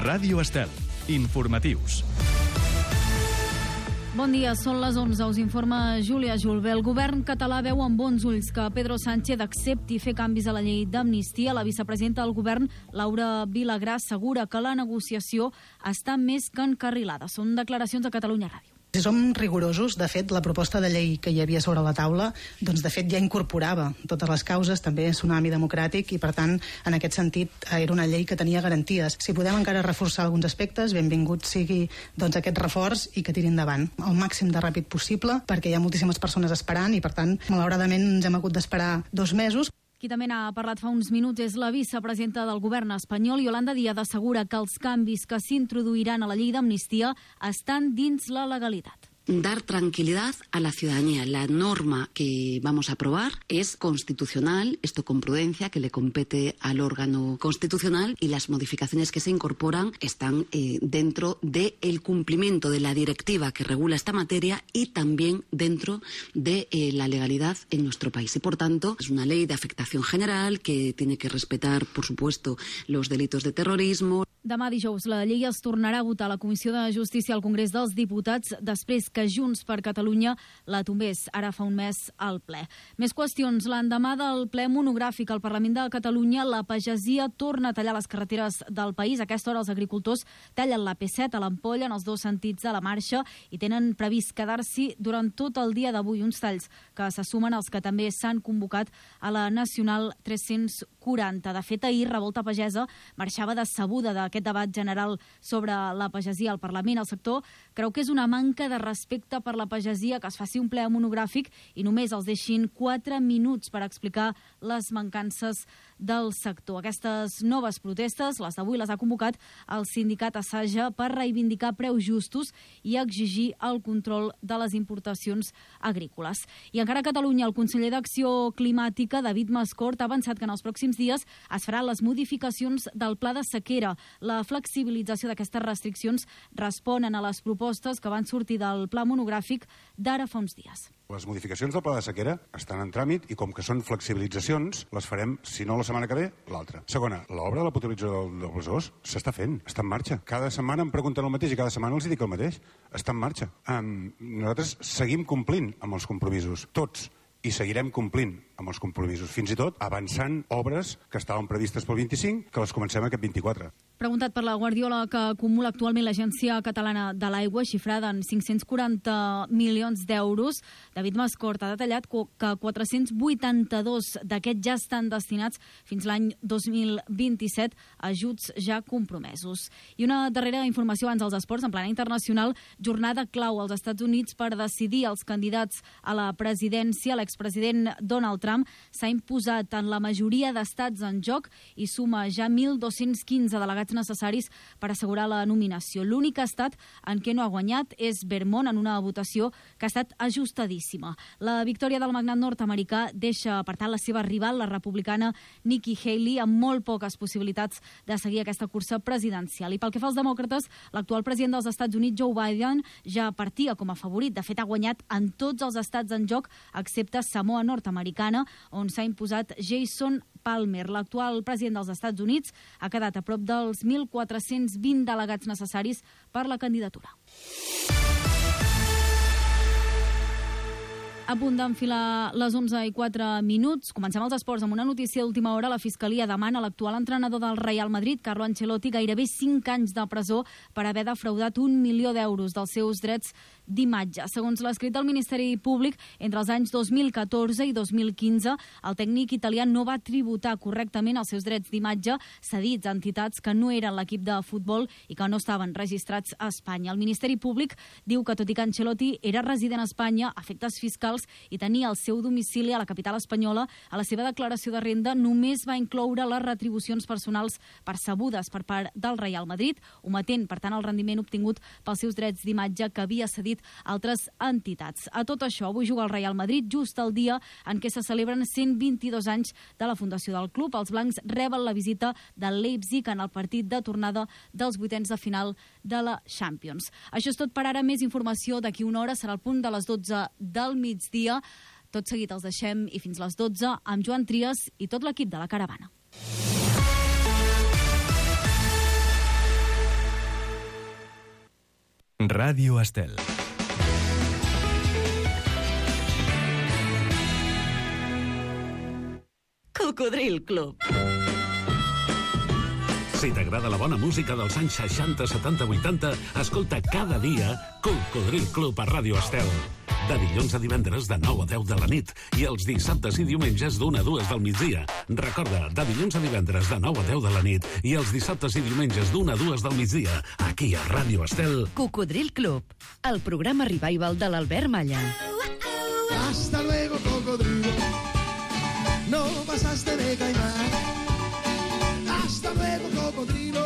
Ràdio Estel. Informatius. Bon dia, són les 11, us informa Júlia Julve. El govern català veu amb bons ulls que Pedro Sánchez accepti fer canvis a la llei d'amnistia. La vicepresidenta del govern, Laura Vilagrà, assegura que la negociació està més que encarrilada. Són declaracions a Catalunya Ràdio. Si som rigorosos, de fet, la proposta de llei que hi havia sobre la taula, doncs de fet ja incorporava totes les causes, també tsunami democràtic, i per tant, en aquest sentit, era una llei que tenia garanties. Si podem encara reforçar alguns aspectes, benvingut sigui doncs aquest reforç i que tiri endavant el màxim de ràpid possible, perquè hi ha moltíssimes persones esperant i per tant, malauradament, ens hem hagut d'esperar 2 mesos. Qui també n'ha parlat fa uns minuts és la vicepresidenta del govern espanyol, Yolanda Díaz, assegura que els canvis que s'introduiran a la llei d'amnistia estan dins la legalitat. Dar tranquilidad a la ciudadanía. La norma que vamos a aprobar es constitucional, esto con prudencia, que le compete al órgano constitucional, y las modificaciones que se incorporan están dentro del cumplimiento de la directiva que regula esta materia y también dentro de la legalidad en nuestro país. Y por tanto, es una ley de afectación general que tiene que respetar, por supuesto, los delitos de terrorismo. Demà dijous la llei es tornarà a votar a la Comissió de Justícia al Congrés dels Diputats després que Junts per Catalunya la tombés ara fa un mes al ple. Més qüestions. L'endemà del ple monogràfic al Parlament de Catalunya, la pagesia torna a tallar les carreteres del país. A aquesta hora els agricultors tallen la P7 a l'Ampolla en els 2 sentits de la marxa i tenen previst quedar-s'hi durant tot el dia d'avui. Uns talls que se sumen als que també s'han convocat a la Nacional 340. De fet, ahir Revolta Pagesa marxava decebuda d'aquest debat general sobre la pagesia al Parlament. El sector creu que és una manca de respecte per la pagesia que es faci un ple monogràfic i només els deixin 4 minuts per explicar les mancances del sector. Aquestes noves protestes, les d'avui, les ha convocat el sindicat Assaja per reivindicar preus justos i exigir el control de les importacions agrícoles. I encara a Catalunya, el conseller d'Acció Climàtica, David Mascort, ha avançat que en els pròxims dies es faran les modificacions del pla de sequera. La flexibilització d'aquestes restriccions responen a les propostes que van sortir del pla monogràfic d'ara fa uns dies. Les modificacions del pla de sequera estan en tràmit i com que són flexibilitzacions, les farem, si no la setmana que ve, l'altra. Segona, l'obra de la potabilització del Besòs s'està fent, està en marxa. Cada setmana em pregunten el mateix i cada setmana els dic el mateix. Està en marxa. Nosaltres seguim complint amb els compromisos, tots, i seguirem complint amb els compromisos, fins i tot avançant obres que estaven previstes pel 25, que les comencem aquest 24. Preguntat per la Guardiola que acumula actualment l'Agència Catalana de l'Aigua, xifrada en 540 milions d'euros, David Mascort ha detallat que 482 d'aquests ja estan destinats fins l'any 2027 a ajuts ja compromesos. I una darrera informació abans dels esports, en plana internacional, jornada clau als Estats Units per decidir els candidats a la presidència. L'expresident Donald Trump s'ha imposat en la majoria d'estats en joc i suma ja 1.215 delegats necessaris per assegurar la nominació. L'únic estat en què no ha guanyat és Vermont, en una votació que ha estat ajustadíssima. La victòria del magnat nord-americà deixa, per tant, la seva rival, la republicana Nikki Haley, amb molt poques possibilitats de seguir aquesta cursa presidencial. I pel que fa als demòcrates, l'actual president dels Estats Units, Joe Biden, ja partia com a favorit. De fet, ha guanyat en tots els estats en joc, excepte Samoa nord-americana, on s'ha imposat Jason Palmer. L'actual president dels Estats Units ha quedat a prop dels 1.420 delegats necessaris per la candidatura. A punt d'enfilar les 11:04. Comencem els esports amb una notícia d'última hora. La Fiscalia demana a l'actual entrenador del Real Madrid, Carlo Ancelotti, gairebé 5 anys de presó per haver defraudat 1 milió d'euros dels seus drets d'imatge. Segons l'escrit del Ministeri Públic, entre els anys 2014 i 2015, el tècnic italià no va tributar correctament els seus drets d'imatge cedits a entitats que no eren l'equip de futbol i que no estaven registrats a Espanya. El Ministeri Públic diu que, tot i que Ancelotti era resident a Espanya, a efectes fiscals, i tenia el seu domicili a la capital espanyola, a la seva declaració de renda només va incloure les retribucions personals percebudes per part del Real Madrid, ometent, per tant, el rendiment obtingut pels seus drets d'imatge que havia cedit a altres entitats. A tot això, avui juga el Real Madrid just el dia en què se celebren 122 anys de la fundació del club. Els blancs reben la visita del Leipzig en el partit de tornada dels 8ens de final de la Champions. Això és tot per ara. Més informació d'aquí una hora, serà el punt de les 12 del migdia. Tot seguit els deixem i fins les 12 amb Joan Trias i tot l'equip de la Caravana. Ràdio Estel. Cocodril Club. Si t'agrada la bona música dels anys 60, 70, 80, escolta cada dia Cocodril Club a Ràdio Estel. De dilluns a divendres de 9 a 10 de la nit i els dissabtes i diumenges d'1 a 2 del migdia. Recorda, de dilluns a divendres de 9 a 10 de la nit i els dissabtes i diumenges d'1 a 2 del migdia, aquí a Ràdio Estel. Cocodril Club, el programa revival de l'Albert Malla. Hasta luego, cocodrilo. No pasaste de caimán. Hasta luego, cocodrilo.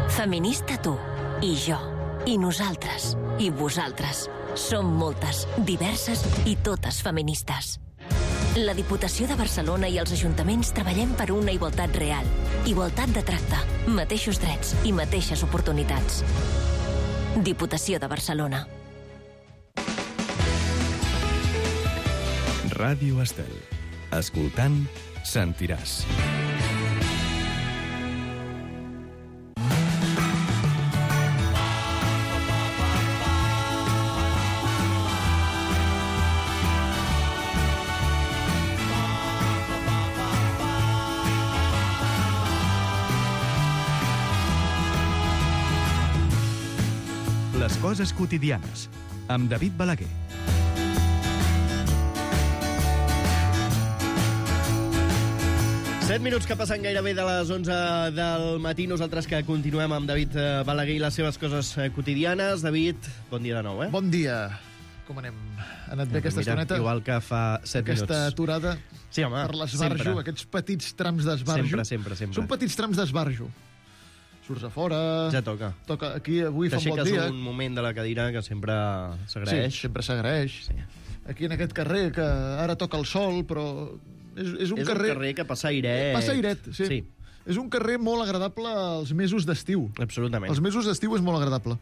Feminista tu, i jo, i nosaltres, i vosaltres. Som moltes, diverses i totes feministes. La Diputació de Barcelona i els ajuntaments treballem per una igualtat real. Igualtat de tracte, mateixos drets i mateixes oportunitats. Diputació de Barcelona. Ràdio Estel. Escoltant, sentiràs. Les coses quotidianes, amb David Balaguer. Set minuts que passen gairebé de les 11 del matí. Nosaltres que continuem amb David Balaguer i les seves coses quotidianes. David, bon dia de nou, eh? Bon dia. Com anem? Ha anat bé aquesta estoneta? Igual que fa 7 minuts. Aquesta aturada sí, home, per l'esbarjo, sempre. Aquests petits trams d'esbarjo. Sempre. Són petits trams d'esbarjo. Surts a fora... Ja toca. Aquí avui fa un bon dia. T'aixeques un moment de la cadira que sempre s'agraeix. Sí, sempre s'agraeix. Sí. Aquí en aquest carrer, que ara toca el sol, però... És un carrer que passa airet. Passa airet, sí. És un carrer molt agradable als mesos d'estiu. Absolutament. Els mesos d'estiu és molt agradable.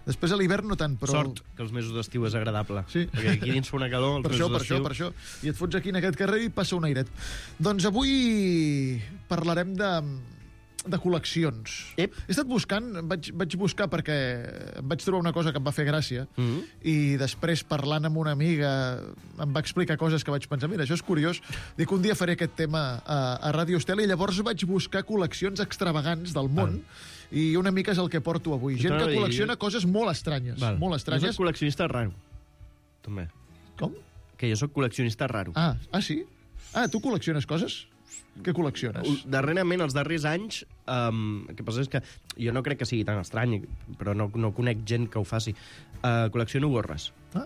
Després a l'hivern no tant, però... Sort que els mesos d'estiu és agradable. Sí. Perquè aquí dins fa una calor, els mesos d'estiu... Per això. I et fots aquí en aquest carrer i passa un airet. Doncs avui parlarem de col·leccions. He estat buscant, vaig buscar perquè em vaig trobar una cosa que em va fer gràcia i després parlant amb una amiga em va explicar coses que vaig pensar, mira, això és curiós, dic un dia faré aquest tema a Ràdio Estel i llavors vaig buscar col·leccions extravagants del món i una mica és el que porto avui. Gent que col·lecciona coses molt estranyes. Molt estranyes. Jo soc col·leccionista raro, també. Com? Que jo soc col·leccionista raro. Ah, sí? Ah, tu col·lecciones coses? Què col·lecciones? Darrerament, els darrers anys, el que passa és que jo no crec que sigui tan estrany, però no conec gent que ho faci. Col·lecciono gorres. Ah.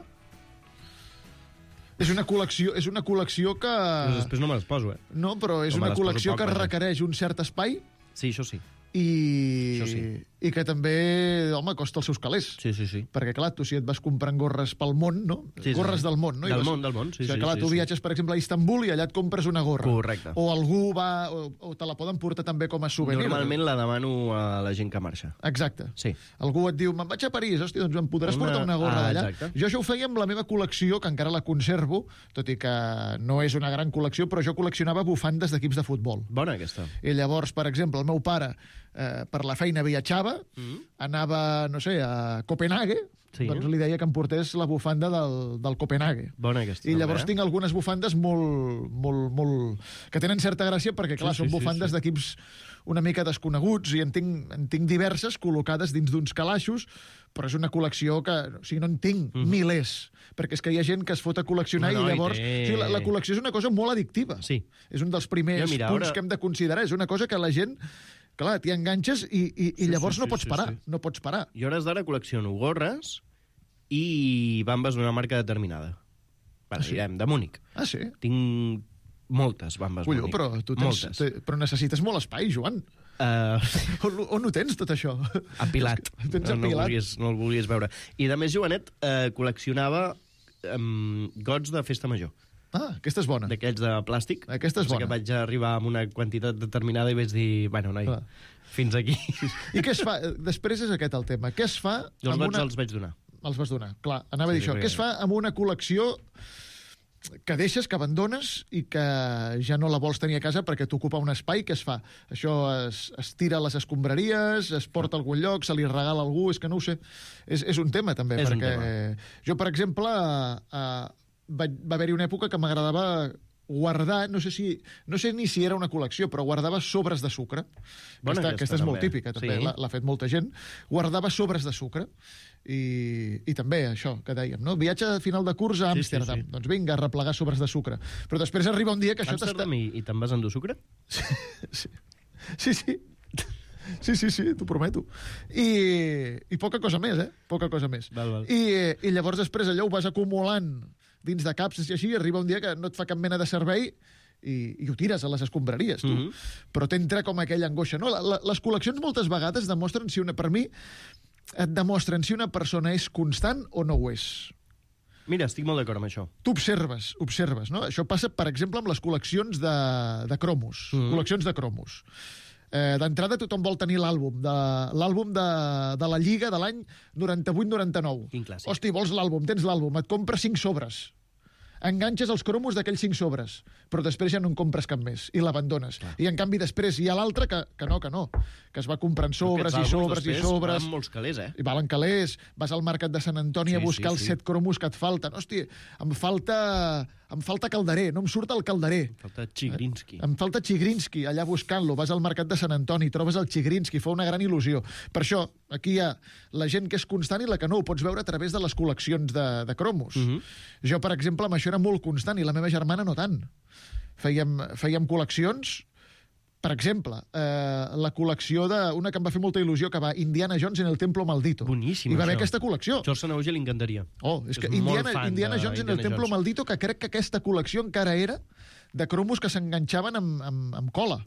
És una col·lecció que... Però després no me les poso, eh? No, però és una col·lecció que requereix un cert espai. Sí, això sí. I que també, home, costa els seus calés. Sí. Perquè, clar, tu si et vas comprant gorres pel món, no? Gorres del món, no? Del món, sí. Clar, tu viatges, per exemple, a Istanbul i allà et compres una gorra. Correcte. O algú va... O te la poden portar també com a souvenir. Normalment la demano a la gent que marxa. Exacte. Sí. Algú et diu, me'n vaig a París, hòstia, doncs em podràs portar una gorra d'allà. Jo això ho feia amb la meva col·lecció, que encara la conservo, tot i que no és una gran col·lecció, però jo col·leccionava bufandes d'equips de futbol. Bona, aquesta. I llavors, per exemple, el meu pare per la feina viatjava, anava, no sé, a Copenhague, doncs li deia que em portés la bufanda del Copenhague. Bona aquesta. I llavors tinc algunes bufandes molt... que tenen certa gràcia perquè, clar, són bufandes d'equips una mica desconeguts i en tinc diverses col·locades dins d'uns calaixos, però és una col·lecció que... O sigui, no en tinc milers, perquè és que hi ha gent que es fot a col·leccionar i llavors... La col·lecció és una cosa molt addictiva. Sí. És un dels primers punts que hem de considerar. És una cosa que la gent... Clar, t'hi enganxes i llavors no pots parar. No pots parar. Jo hores d'ara col·lecciono gorres i bambes d'una marca determinada. Direm, de Múnich. Ah, sí? Tinc moltes bambes Múnich. Però tu però necessites molt espai, Joan. On ho tens, tot això? Apilat. Tens apilat. No el volies veure. I de més jovenet col·leccionava gots de festa major. Ah, aquesta és bona. D'aquells de plàstic. Aquesta és bona. Que vaig arribar amb una quantitat determinada i vaig dir, bueno, noi, fins aquí. I què es fa? Després és aquest el tema. Què es fa amb una... Els vaig donar. Els vas donar, clar. Anava a dir això. Què es fa amb una col·lecció que deixes, que abandones i que ja no la vols tenir a casa perquè t'ocupa un espai. Que es fa? Això es tira a les escombraries, es porta a algun lloc, se li regala a algú, és que no ho sé. És un tema, també, És perquè un tema. jo, per exemple, va haver-hi una època que m'agradava guardar, no sé ni si era una col·lecció, però guardava sobres de sucre. Aquesta és molt típica, també, sí. l'ha fet molta gent. Guardava sobres de sucre. I també això que dèiem, no? Viatge a final de curs a Amsterdam. Sí. Doncs vinga, a replegar sobres de sucre. Però després arriba un dia que això Amsterdam i te'n vas endur sucre? Sí, t'ho prometo. I poca cosa més, Poca cosa més. Val. I llavors després allò ho vas acumulant dins de capses i així, i arriba un dia que no et fa cap mena de servei i ho tires a les escombraries, tu. Però t'entra com aquella angoixa. No? Les col·leccions moltes vegades demostren per mi, et demostren si una persona és constant o no ho és. Mira, estic molt d'acord amb això. Tu observes, no? Això passa, per exemple, amb les col·leccions de cromos. Col·leccions de cromos. D'entrada tothom vol tenir l'àlbum de la Lliga de l'any 98-99. Quin clàssic. Hosti, vols l'àlbum, tens l'àlbum, et compres 5 sobres. Enganxes els cromos d'aquells 5 sobres, però després ja no en compres cap més i l'abandones. I en canvi després hi ha l'altre que no, que es va comprant sobres i sobres i sobres. Valen molts calés, I valen calés. Vas al mercat de Sant Antoni a buscar els 7 cromos que et falten. Hosti, em falta Calderer, no em surt el Calderer. Em falta Chigrinsky, allà buscant-lo. Vas al mercat de Sant Antoni, trobes el Chigrinsky, fa una gran il·lusió. Per això, aquí hi ha la gent que és constant i la que no. Ho pots veure a través de les col·leccions de cromos. Jo, per exemple, amb això era molt constant i la meva germana no tant. Fèiem col·leccions. Per exemple, la col·lecció d'una que em va fer molta il·lusió, que va Indiana Jones en el Templo Maldito. Boníssim, I va haver això. aquesta col·lecció. George Sanauge li encantaria. És que Indiana Jones en el Templo Maldito, que crec que aquesta col·lecció encara era de cromos que s'enganxaven amb cola.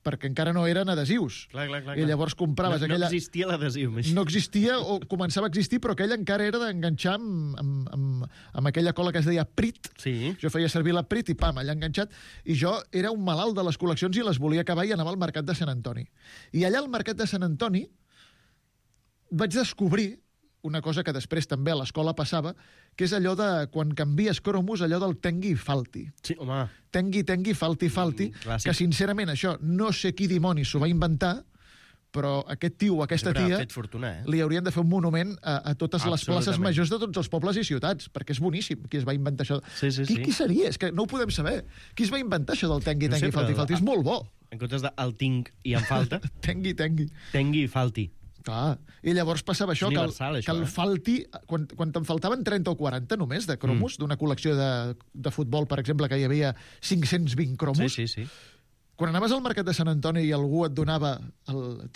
Perquè encara no eren adhesius. Clar. I llavors compraves aquella... No existia l'adhesiu. No existia, o començava a existir, però aquella encara era d'enganxar amb aquella cola que es deia Prit. Sí. Jo feia servir la Prit i pam, allà enganxat. I jo era un malalt de les col·leccions i les volia acabar i anava al mercat de Sant Antoni. I allà al mercat de Sant Antoni vaig descobrir una cosa que després també a l'escola passava, que és allò de, quan canvies cromos, allò del tengui i falti. Sí, home. Tengui, falti, clàssic. que sincerament això, no sé qui dimonis s'ho va inventar, però aquest tio o aquesta tia li haurien de fer un monument a totes les places majors de tots els pobles i ciutats, perquè és boníssim qui es va inventar això. Qui seria? És que no ho podem saber. Qui es va inventar això del tengui, falti? És molt bo. En comptes del tinc i en falta... Tengui. Tengui i falti. Clar. I llavors passava això, que el falti, quan te'n faltaven 30 o 40 només de cromos, d'una col·lecció de futbol, per exemple, que hi havia 520 cromos, sí. Quan anaves al mercat de Sant Antoni i algú et donava...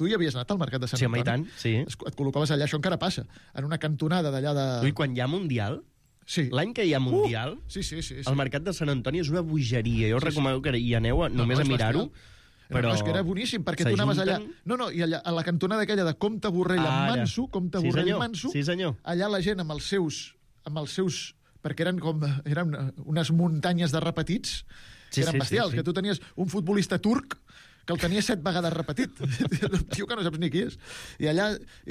Tu hi havies anat al mercat de Sant Antoni? Sí, i tant, sí. Et col·locaves allà, això encara passa, en una cantonada d'allà de... Ui, quan hi ha Mundial... Sí. L'any que hi ha Mundial, sí. el mercat de Sant Antoni és una bogeria. Jo us recomano que hi aneu només a mirar-ho. Però... és que era boníssim, perquè tu anaves allà... No, i allà, a la cantonada aquella de Comte Borrell amb Manso, Manso, allà la gent amb els seus... perquè eren unes muntanyes de repetits, que eren bestials, que tu tenies un futbolista turc que el tenia 7 vegades repetit. Un tio que no saps ni qui és. I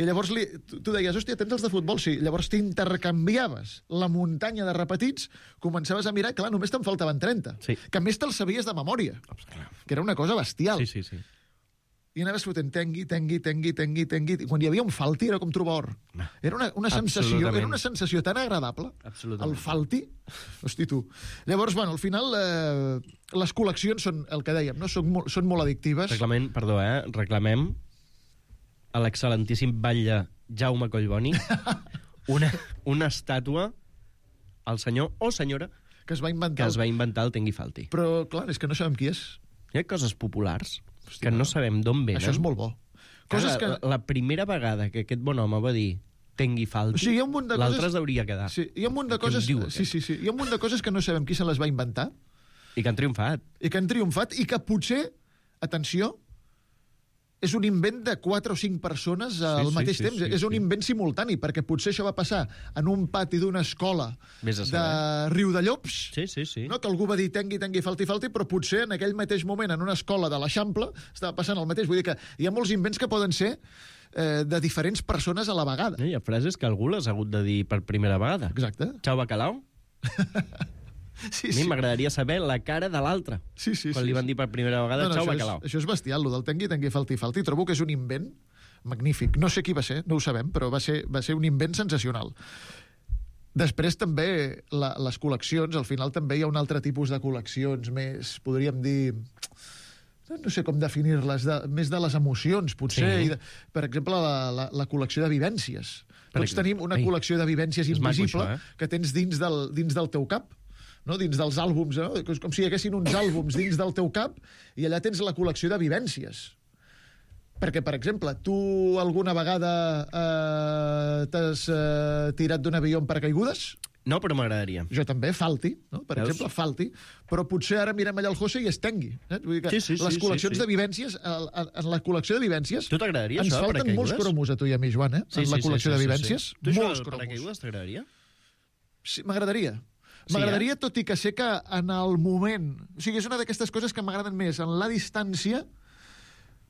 llavors tu deies, hòstia, tens els de futbol? Sí. Llavors t'intercanviaves la muntanya de repetits, començaves a mirar, clar, només te'n faltaven 30. Sí. Que a més te'ls sabies de memòria. Que era una cosa bestial. Sí. I anaves fotent tengui. I quan hi havia un falti era com trobar or. Era una sensació tan agradable. El falti. Hosti, tu. Llavors, bueno, al final les col·leccions són el que dèiem, no? Són molt addictives. Reclamem a l'excel·lentíssim batlle Jaume Collboni una estàtua al senyor o senyora que es va inventar el tengui falti. Però, clar, és que no sabem qui és. Hi ha coses populars que no sabem d'on venen. Això és molt bo. La primera vegada que aquest bon home va dir tengui falti, l'altre es hauria quedat. Sí, hi ha un munt de coses... Sí. Hi ha un munt de coses que no sabem qui se les va inventar. I que han triomfat. I que potser, atenció, és un invent de 4 o 5 persones al mateix temps. És un invent simultani, perquè potser això va passar en un pati d'una escola de Riudellops, no? Que algú va dir tengui, falti, però potser en aquell mateix moment en una escola de l'Eixample estava passant el mateix. Vull dir que hi ha molts invents que poden ser de diferents persones a la vegada. Hi ha frases que algú les ha hagut de dir per primera vegada. Exacte. Xau bacalao. A mi m'agradaria saber la cara de l'altre. Quan li van dir per primera vegada, xau, bacalao. Això és bestial, el del tengui, falti. Trobo que és un invent magnífic. No sé qui va ser, no ho sabem, però va ser un invent sensacional. Després també les col·leccions, al final també hi ha un altre tipus de col·leccions més, podríem dir... No sé com definir-les, més de les emocions, potser. Sí. Per exemple, la col·lecció de vivències. Tots tenim una col·lecció de vivències invisible que tens dins del teu cap, no? Dins dels àlbums, no? Com si hi haguessin uns àlbums dins del teu cap i allà tens la col·lecció de vivències. Perquè, per exemple, tu alguna vegada t'has tirat d'un avió amb paracaigudes? No, però m'agradaria. Jo també, falti, no? Per exemple, falti. Però potser ara mirem allà el José i es tengui. Vull dir que les col·leccions de vivències, en la col·lecció de vivències... Tu t'agradaria això, de paracaigudes? Ens falten molts cromos a tu i a mi, Joan, en la col·lecció de vivències. Tu això molts de paracaigudes t'agradaria? Sí, m'agradaria. M'agradaria, tot i que sé que en el moment... O sigui, és una d'aquestes coses que m'agraden més en la distància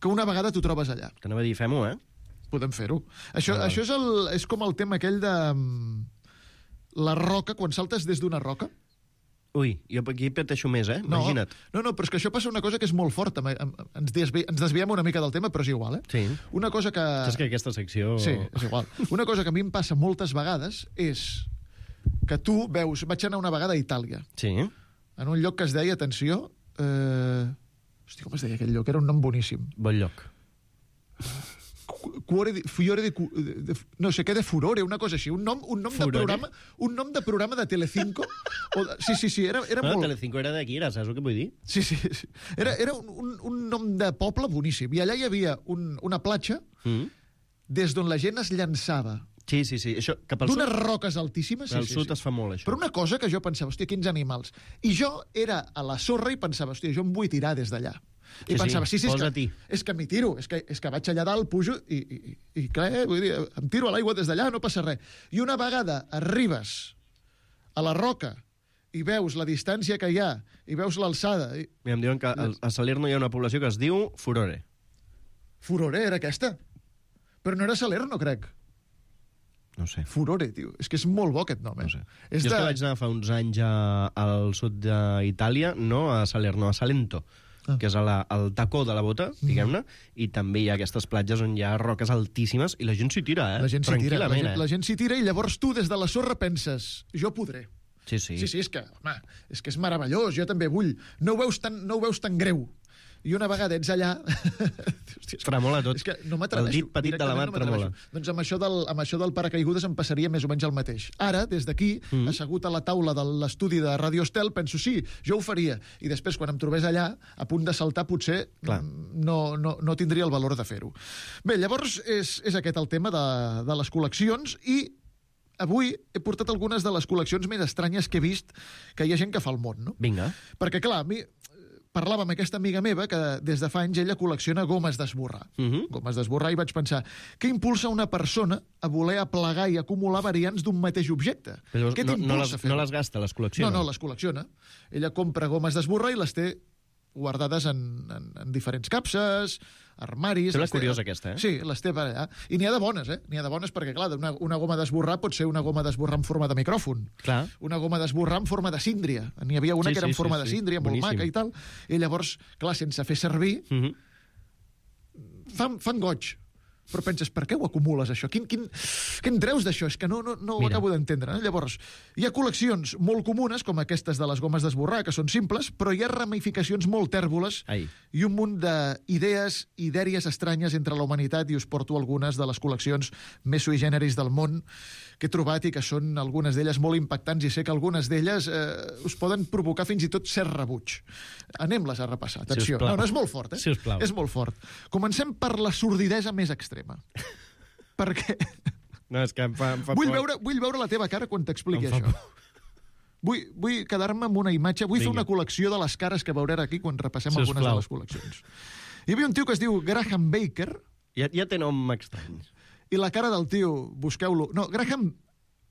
que una vegada t'ho trobes allà. T'anava a dir, fem-ho, Podem fer-ho. Això és com el tema aquell de... La roca, quan saltes des d'una roca... Ui, jo aquí pateixo més, imagina't. No, però és que això passa una cosa que és molt forta. Ens desviem una mica del tema, però és igual, Sí. Una cosa que... Saps que aquesta secció... Sí, és igual. Una cosa que a mi em passa moltes vegades és que tu veus... Vaig anar una vegada a Itàlia. Sí. En un lloc que es deia, atenció... Hosti, com es deia aquell lloc? Era un nom boníssim. Bon lloc. No sé què de Furore, una cosa així, un nom de programa de Telecinco. Sí, era molt... Telecinco era d'aquí, saps el que vull dir? Sí. Era un nom de poble boníssim. I allà hi havia una platja des d'on la gent es llançava. Sí. Això, cap al sud... D'unes roques altíssimes. Al sud es fa molt, això. Però una cosa que jo pensava, hòstia, quins animals. I jo era a la sorra i pensava, hòstia, jo em vull tirar des d'allà. I pensava, és que m'hi tiro, és que vaig allà dalt, pujo i clar, vull dir, em tiro a l'aigua des d'allà, no passa res. I una vegada arribes a la roca i veus la distància que hi ha i veus l'alçada... Mira, em diuen que a Salerno hi ha una població que es diu Furore. Furore era aquesta? Però no era Salerno, crec. No sé. Furore, tio. És que és molt bo aquest nom, No sé. Jo és que vaig anar fa uns anys al sud d'Itàlia, no a Salerno, a Salento, que és al tacó de la bota, diguem-ne, i també hi ha aquestes platges on hi ha roques altíssimes i la gent s'hi tira, La gent s'hi tira, la gent s'hi tira i llavors tu des de la sorra penses, jo podré. Sí, és que, home, és que és meravellós, jo també vull. No ho veus tan greu. I una vegada ets allà... Tremola tot. És que no m'atreveixo. El dit petit de la mà tremola. Doncs amb això del paracaigudes em passaria més o menys el mateix. Ara, des d'aquí, assegut a la taula de l'estudi de Radio Estel, penso, sí, jo ho faria. I després, quan em trobés allà, a punt de saltar, potser no tindria el valor de fer-ho. Bé, llavors és aquest el tema de les col·leccions i avui he portat algunes de les col·leccions més estranyes que he vist que hi ha gent que fa al món, no? Vinga. Perquè, clar, a mi... Parlava amb aquesta amiga meva que des de fa anys ella col·lecciona gomes d'esborrar. Gomes d'esborrar i vaig pensar, què impulsa una persona a voler aplegar i acumular variants d'un mateix objecte? Però què t'impulsa a fer? No les gasta, les col·lecciona? No, les col·lecciona. Ella compra gomes d'esborrar i les té guardades en diferents capses, armaris... Sembla curiosa aquesta, Sí, les té per allà. I n'hi ha de bones, N'hi ha de bones perquè, clar, una goma d'esborrar pot ser una goma d'esborrar en forma de micròfon. Clar. Una goma d'esborrar en forma de síndria. N'hi havia una que era en forma de síndria, molt maca i tal. I llavors, clar, sense fer servir, fan goig. Però penses, per què ho acumules, això? Què en treus d'això? És que no ho acabo d'entendre. Llavors, hi ha col·leccions molt comunes, com aquestes de les gomes d'esborrar, que són simples, però hi ha ramificacions molt tèrboles i un munt d'idees i dèries estranyes entre la humanitat, i us porto algunes de les col·leccions més sui generis del món que he trobat i que són algunes d'elles molt impactants i sé que algunes d'elles us poden provocar fins i tot cert rebuig. Anem-les a repassar. Atenció. No, és molt fort, Sisplau. És molt fort. Comencem per la sordidesa més extrema. Perquè... No, és que em fa vull veure la teva cara quan t'expliqui això. Vull quedar-me amb una imatge. Vull fer una col·lecció de les cares que veuré aquí quan repassem algunes de les col·leccions. Hi havia un tio que es diu Graham Baker. Ja té nom estrany. I la cara del tio, busqueu-lo... No, Graham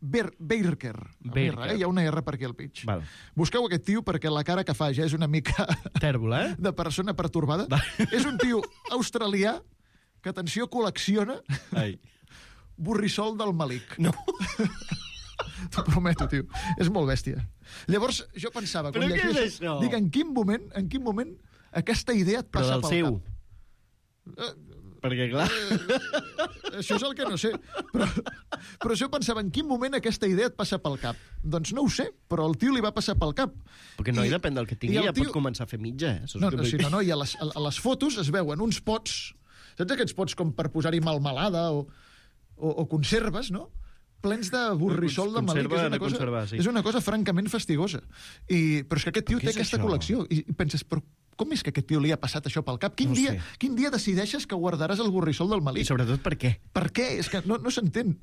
Baker. Hi ha una R per aquí al mig. Val. Busqueu aquest tio perquè la cara que fa ja és una mica... Tèrbola, de persona pertorbada. És un tio australià que, atenció, col·lecciona borrissol del malic. No. T'ho prometo, tio. És molt bèstia. Llavors, jo pensava... Però què és això? Dic, en quin moment aquesta idea et passa pel cap? Però del seu. Perquè, clar... Això és el que no sé. Però jo pensava, en quin moment aquesta idea et passa pel cap? Doncs no ho sé, però al tio li va passar pel cap. Perquè no, i depèn del que tingui, ja pot començar a fer mitja, i a les fotos es veuen uns pots, saps aquests pots com per posar-hi malmelada o conserves, no? Plens de borrissol de melí, que és una cosa francament fastigosa. Però és que aquest tio té aquesta col·lecció. I penses, però com és que aquest tio li ha passat això pel cap? Quin dia decideixes que guardaràs el borrissol del melí? I sobretot per què? Per què? És que no s'entén.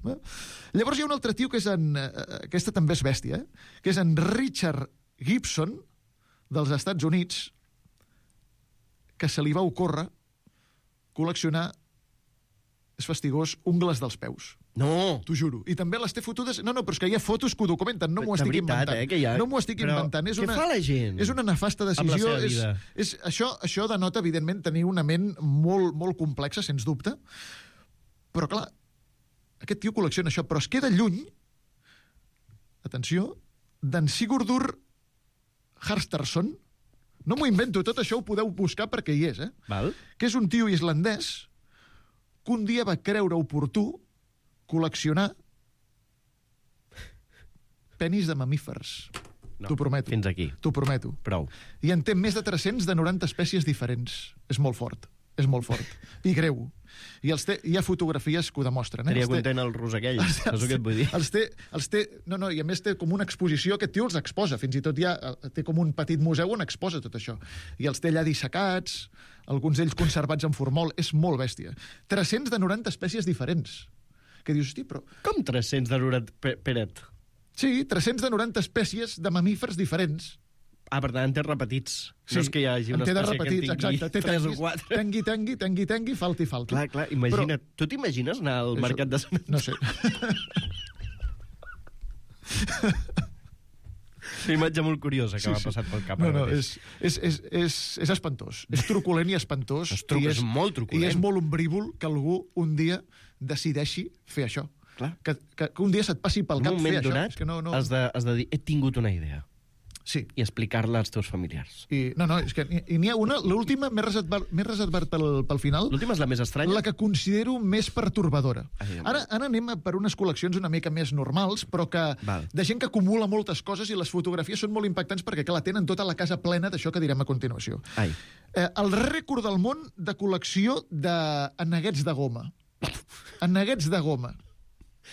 Llavors hi ha un altre tio que és aquesta també és bèstia, que és en Richard Gibson, dels Estats Units, que se li va ocórrer col·leccionar, és fastigós, ungles dels peus. No! T'ho juro. I també les té fotudes... No, però és que hi ha fotos que ho documenten. No m'ho estic inventant. No m'ho estic inventant. Què fa la gent? És una nefasta decisió. Amb la seva vida. Això denota, evidentment, tenir una ment molt, molt complexa, sens dubte. Però, clar, aquest tio col·lecciona això, però es queda lluny, atenció, d'en Sigurdur Harstarsson. No m'ho invento, tot això ho podeu buscar perquè hi és, Val. Que és un tio islandès que un dia va creure oportú col·leccionar penis de mamífers. No, t'ho prometo. Fins aquí. T'ho prometo. Prou. I en té més de 300 de 90 espècies diferents. És molt fort. És molt fort. I greu. I hi ha fotografies que ho demostren. Estaria content el rus aquell, és el que et vull dir. I a més té com una exposició, aquest tio els exposa, fins i tot té com un petit museu on exposa tot això. I els té allà dissecats, alguns d'ells conservats en formol, és molt bèstia. 300 de 90 espècies diferents. Que dius, hosti, però... Com 300 de 90, Peret? Sí, 300 de 90 espècies de mamífers diferents. Per tant, en té repetits. Sí, no és que hi hagi una espècie que en tingui 3 o 4. Tengui, falti. Clar, imagina't. Tu t'imagines anar al mercat de Sant Antoni? No sé. Una imatge molt curiosa que m'ha passat pel cap. No, és espantós. És truculent i espantós. És molt truculent. I és molt ombrívol que algú un dia decideixi fer això. Clar. Que un dia se't passi pel cap fer això. En un moment donat has de dir, he tingut una idea. Sí. I explicar-la als teus familiars. És que n'hi ha una, l'última, més reservat pel final. L'última és la més estranya? La que considero més pertorbadora. Ara anem per unes col·leccions una mica més normals, però de gent que acumula moltes coses i les fotografies són molt impactants perquè, clar, tenen tota la casa plena d'això que direm a continuació. El rècord del món de col·lecció d'aneguets de goma. Aneguets de goma.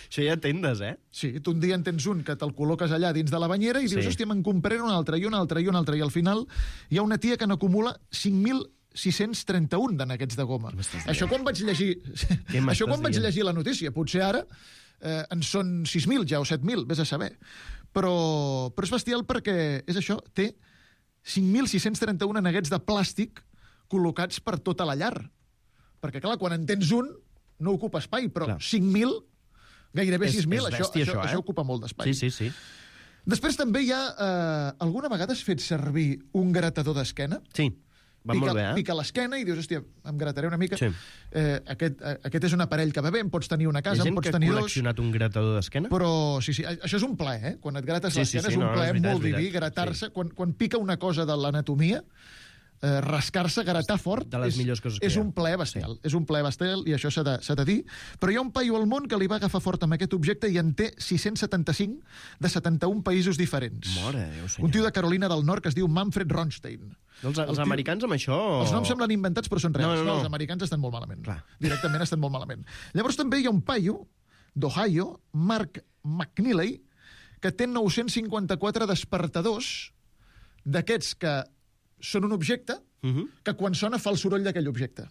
Això ja tendes, Sí, tu un dia en tens un que te'l col·loques allà dins de la banyera i dius, hòstia, me'n compraré un altre, i un altre, i al final hi ha una tia que n'acumula 5.631 d'aneguets de goma. Això quan vaig llegir la notícia, potser ara en són 6.000 ja o 7.000, vés a saber. Però és bestial perquè és això, té 5.631 aneguets de plàstic col·locats per tota la llar. Perquè, clar, quan en tens un, no ocupa espai, però 5.000... Gairebé 6.000, això ocupa molt d'espai. Sí. Després també hi ha... alguna vegada has fet servir un gratador d'esquena? Sí, va molt bé, Pica l'esquena i dius, hòstia, em grataré una mica. Sí. Aquest és un aparell que va bé, en pots tenir una casa, en pots tenir dos. Hi ha gent que ha col·leccionat un gratador d'esquena? Però, sí, això és un plaer, Quan et grates l'esquena és un plaer molt diví, gratar-se. Quan pica una cosa de l'anatomia, rascar-se, gratar fort, de les millors coses que és un plaer bestial. És un plaer bestial i això s'ha de dir. Però hi ha un paio al món que li va agafar fort amb aquest objecte i en té 675 de 71 països diferents. Mare de Déu, senyor. Un tio de Carolina del Nord que es diu Manfred Ronstein. Els americans amb això... Els noms semblen inventats però són reals. No. Els americans estan molt malament. Directament estan molt malament. Llavors també hi ha un paio d'Ohio, Mark McNeely, que té 954 despertadors d'aquests que són un objecte que quan sona fa el soroll d'aquell objecte.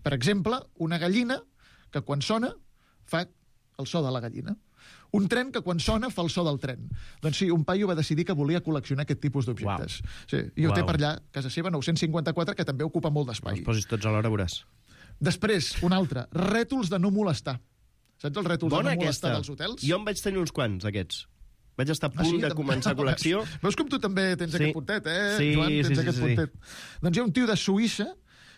Per exemple, una gallina que quan sona fa el so de la gallina. Un tren que quan sona fa el so del tren. Doncs sí, un paio va decidir que volia col·leccionar aquest tipus d'objectes. Sí, i ho té per allà, casa seva, 954, que també ocupa molt d'espai. Els posis tots alhora, veuràs. Després, un altre, rètols de no molestar. Saps els rètols de no molestar dels hotels? Jo en vaig tenir uns quants, aquests. Vaig estar a punt de començar col·lecció. Veus com tu també tens aquest puntet, Joan? Tens aquest puntet. Doncs hi ha un tio de Suïssa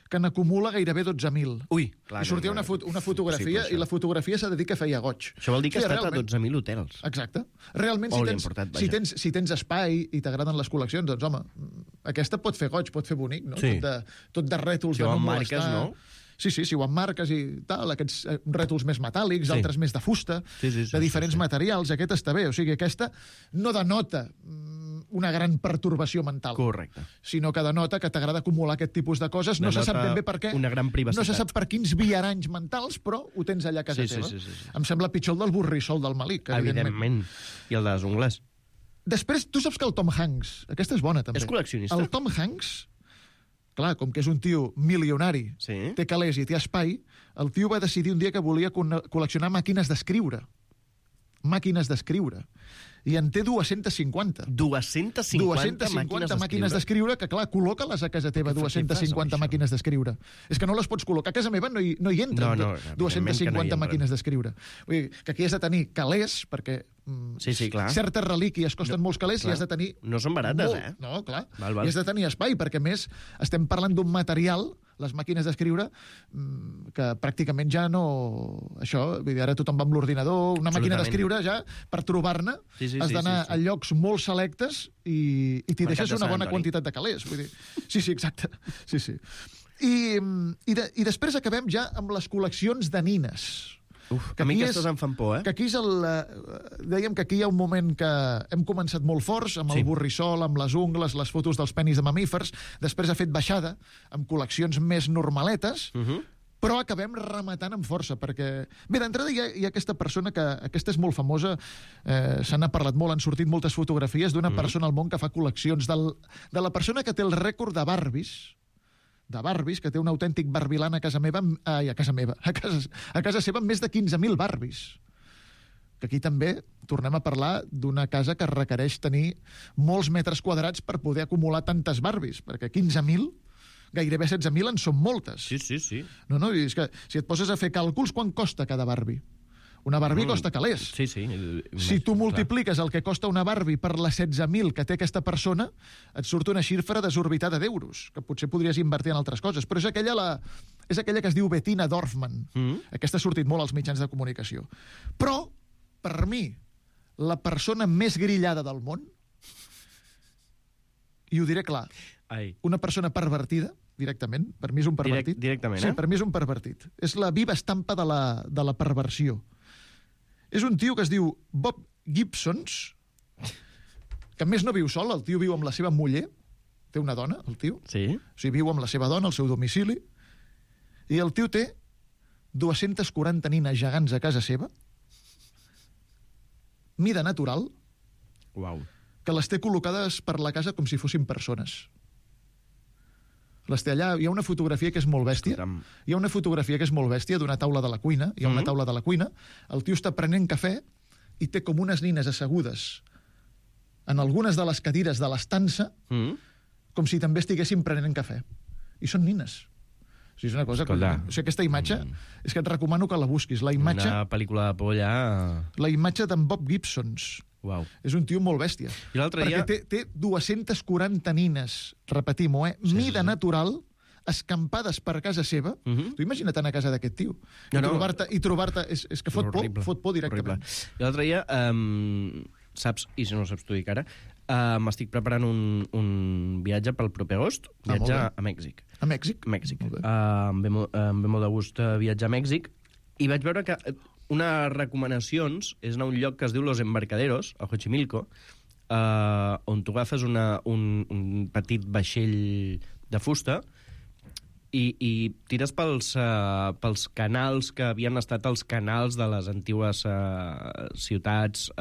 que n'acumula gairebé 12.000. Ui, clar. I sortia una fotografia, i la fotografia s'ha de dir que feia goig. Això vol dir que ha estat a 12.000 hotels. Exacte. Realment, si tens espai i t'agraden les col·leccions, doncs, home, aquesta pot fer goig, pot fer bonic, no? Sí. Tot de rètols de no molestar. Marques, no? Sí, si ho emmarques i tal, aquests rètols més metàl·lics, altres més de fusta, de diferents materials, aquest està bé. O sigui, aquesta no denota una gran pertorbació mental. Correcte. Sinó que denota que t'agrada acumular aquest tipus de coses. No se sap ben bé per què. Una gran privacitat. No se sap per quins viaranys mentals, però ho tens allà a casa teva. Sí. Em sembla pitjor el del Borrissol del Malik, evidentment. I el de les ungles. Després, tu saps que el Tom Hanks, aquesta és bona també. És col·leccionista. El Tom Hanks, clar, com que és un tio milionari, té calés i té espai, el tio va decidir un dia que volia col·leccionar màquines d'escriure. I en té 250. 250 màquines d'escriure, que clar, col·loca-les a casa teva, 250 màquines d'escriure. És que no les pots col·locar. A casa meva no hi entren 250 màquines d'escriure. Vull dir, que aquí has de tenir calés, perquè certes relíquies costen molts calés i has de tenir... No són barates, No, clar. I has de tenir espai, perquè més estem parlant d'un material, les màquines d'escriure, que pràcticament ja no... Això, vull dir, ara tothom va amb l'ordinador, una màquina d'escriure ja, per trobar-ne, has d'anar a llocs molt selectes i t'hi deixes una bona quantitat de calés. Vull dir, sí, exacte. Sí. I després acabem ja amb les col·leccions de nines. A mi aquestes em fan por, que aquí és dèiem que aquí hi ha un moment que hem començat molt forts, amb el Borrissol, amb les ungles, les fotos dels penis de mamífers, després ha fet baixada, amb col·leccions més normaletes, però acabem rematant amb força, perquè... Bé, d'entrada hi ha aquesta persona que... Aquesta és molt famosa, se n'ha parlat molt, han sortit moltes fotografies d'una persona al món que fa col·leccions, de la persona que té el rècord de Barbies, que té un autèntic barbilant a casa seva, amb més de 15.000 Barbies. Que aquí també tornem a parlar d'una casa que requereix tenir molts metres quadrats per poder acumular tantes Barbies, perquè 15.000, gairebé 16.000 en són moltes. Sí. No, i és que si et poses a fer càlculs, quan costa cada Barbie? Una Barbie costa calés. Sí. Si tu multipliques el que costa una Barbie per les 16.000 que té aquesta persona, et surt una xifra desorbitada d'euros, que potser podries invertir en altres coses. Però és aquella que es diu Bettina Dorfman. Aquesta ha sortit molt als mitjans de comunicació. Però, per mi, la persona més grillada del món, i ho diré clar, una persona pervertida, directament, per mi és un pervertit. Directament, Sí, per mi és un pervertit. És la viva estampa de la perversió. És un tio que es diu Bob Gibsons, que a més no viu sol, el tio viu amb la seva muller, té una dona, el tio. Sí. O sigui, viu amb la seva dona, al seu domicili, i el tio té 240 nines gegants a casa seva, mida natural, que les té col·locades per la casa com si fossin persones. Les té allà. Hi ha una fotografia que és molt bèstia. D'una taula de la cuina. Hi ha una taula de la cuina. El tio està prenent cafè i té com unes nines assegudes en algunes de les cadires de l'estança, com si també estiguessin prenent cafè. I són nines. O sigui, és una cosa... O sigui, aquesta imatge, és que et recomano que la busquis. Una pel·lícula de por allà... La imatge d'en Bob Gibsons. És un tio molt bèstia. I l'altre dia... Perquè té 240 nines, repetim-ho, mida natural, escampades per casa seva. Tu imagina't anar a casa d'aquest tio. I trobar-te... És que fot por directament. I l'altre dia, saps, i si no ho saps tu dic ara, m'estic preparant un viatge pel proper agost, viatge a Mèxic. A Mèxic? Mèxic. Em ve molt de gust viatjar a Mèxic, i vaig veure que unes recomanacions és anar a un lloc que es diu Los Embarcaderos, a Xochimilco, on tu agafes un petit vaixell de fusta i tires pels canals que havien estat els canals de les antigues ciutats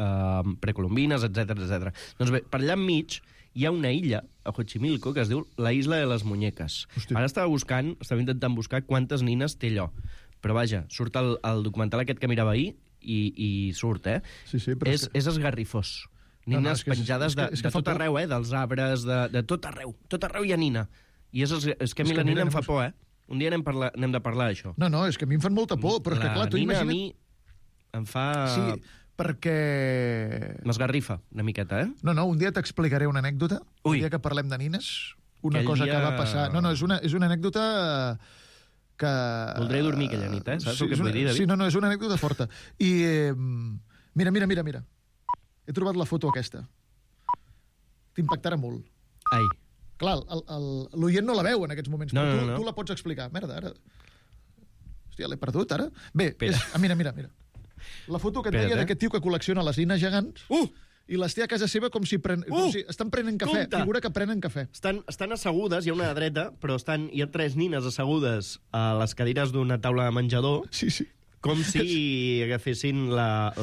precolombines, etc. Doncs bé, per allà enmig hi ha una illa, a Xochimilco, que es diu la Isla de les Muñeques. Ara estava intentant buscar quantes nines té allò. Però vaja, surt el documental aquest que mirava ahir i surt, Sí, és esgarrifós. Nines penjades de tot arreu, dels arbres, de tot arreu. Tot arreu hi ha nina. I és que a mi la nina em fa por, Un dia n'hem de parlar, d'això. No, és que a mi em fan molta por, però és que, clar, tu imagina't... La nina a mi em fa... Sí, perquè... M'esgarrifa una miqueta, No, un dia t'explicaré una anècdota. Un dia que parlem de nines, una cosa que va passar... No, és una anècdota que... Voldré dormir aquella nit, saps el que et vull dir, David? Sí, no, és una anècdota forta. I mira. He trobat la foto aquesta. T'impactarà molt. Ai. Clar, l'oient no la veu en aquests moments, però tu la pots explicar. Merda, ara... Hòstia, l'he perdut, ara? Bé, mira. La foto que et deia d'aquest tio que col·lecciona les nines gegants... I les té a casa seva com si estan prenent cafè. Compte. Figura que prenen cafè. Estan assegudes, hi ha una dreta, però hi ha 3 nines assegudes a les cadires d'una taula de menjador. Sí. Com si agafessin la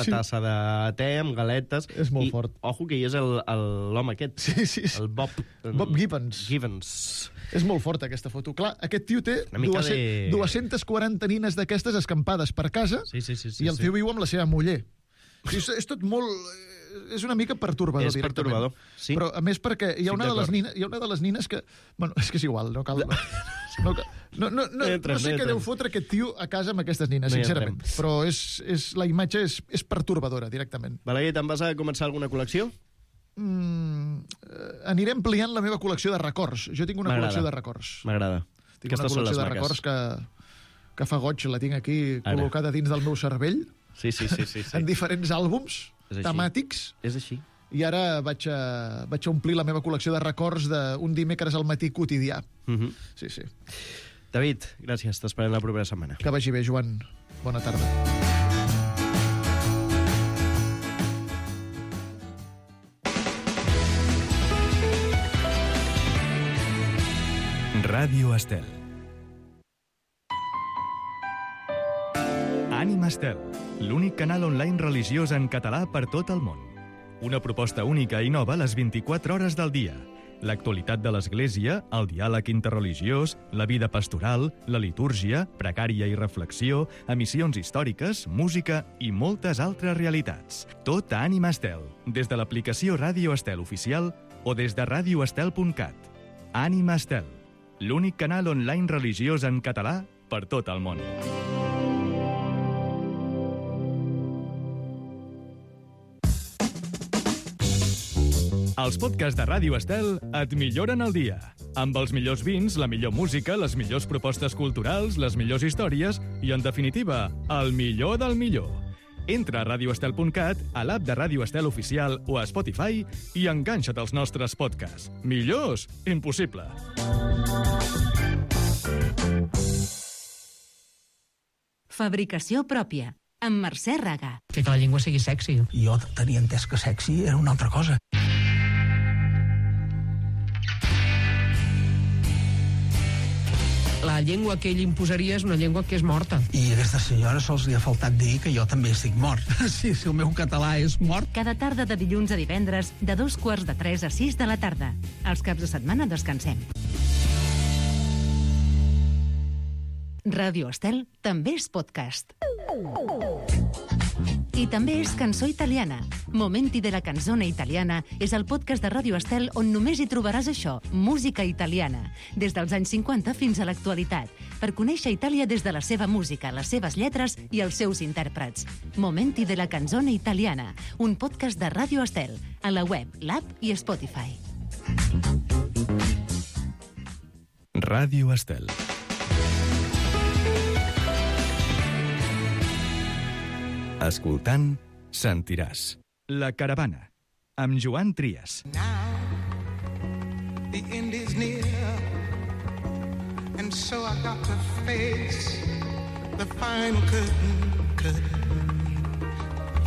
tassa de te amb galetes. És molt fort. Ojo, que hi és l'home aquest. Sí. El Bob Gibbons. És molt forta, aquesta foto. Clar, aquest tio té 240 nines d'aquestes escampades per casa i el tio viu amb la seva muller. És tot molt... És una mica pertorbador, directament. És pertorbador, sí. Però, a més, perquè hi ha una de les nines que... Bueno, és que és igual, no cal... No sé què deu fotre aquest tio a casa amb aquestes nines, sincerament. Però la imatge és pertorbadora, directament. Balaguer, te'n vas a començar alguna col·lecció? Aniré ampliant la meva col·lecció de records. Jo tinc una col·lecció de records. M'agrada. Tinc una col·lecció de records que fa goig, la tinc aquí col·locada dins del meu cervell. Sí. En diferents àlbums temàtics. És així. I ara vaig a omplir la meva col·lecció de records d'un dimecres al matí quotidià. Sí. David, gràcies. T'esperem la propera setmana. Que vagi bé, Joan. Bona tarda. Ràdio Estel. Ànima Estel, l'únic canal online religiós en català per tot el món. Una proposta única i nova a les 24 hores del dia. L'actualitat de l'Església, el diàleg interreligiós, la vida pastoral, la litúrgia, precària i reflexió, emissions històriques, música i moltes altres realitats. Tot a Ànima Estel, des de l'aplicació Ràdio Estel oficial o des de radioestel.cat. Ànima Estel, l'únic canal online religiós en català per tot el món. Els podcasts de Ràdio Estel et milloren el dia. Amb els millors vins, la millor música, les millors propostes culturals, les millors històries i, en definitiva, el millor del millor. Entra a radioestel.cat, a l'app de Ràdio Estel oficial o a Spotify i enganxa't als nostres podcasts. Millors? Impossible. Fabricació pròpia, amb Mercè Raga. Que la llengua sigui sexy. Jo tenia entès que sexy era una altra cosa. La llengua que ell imposaria és una llengua que és morta. I a aquesta senyora sols li ha faltat dir que jo també estic mort. Sí, si el meu català és mort. Cada tarda de dilluns a divendres, de 2:45 a 6 de la tarda. Els caps de setmana descansem. Ràdio Estel també és podcast. I també és cançó italiana. Momenti de la canzone italiana és el podcast de Ràdio Estel on només hi trobaràs això, música italiana, des dels anys 50 fins a l'actualitat, per conèixer Itàlia des de la seva música, les seves lletres i els seus intèrprets. Momenti de la canzone italiana, un podcast de Ràdio Estel, a la web, l'app i Spotify. Ràdio Estel. Escoltant, sentiràs. La Caravana, amb Joan Trias. The end is near, and so I got to face the final curtain.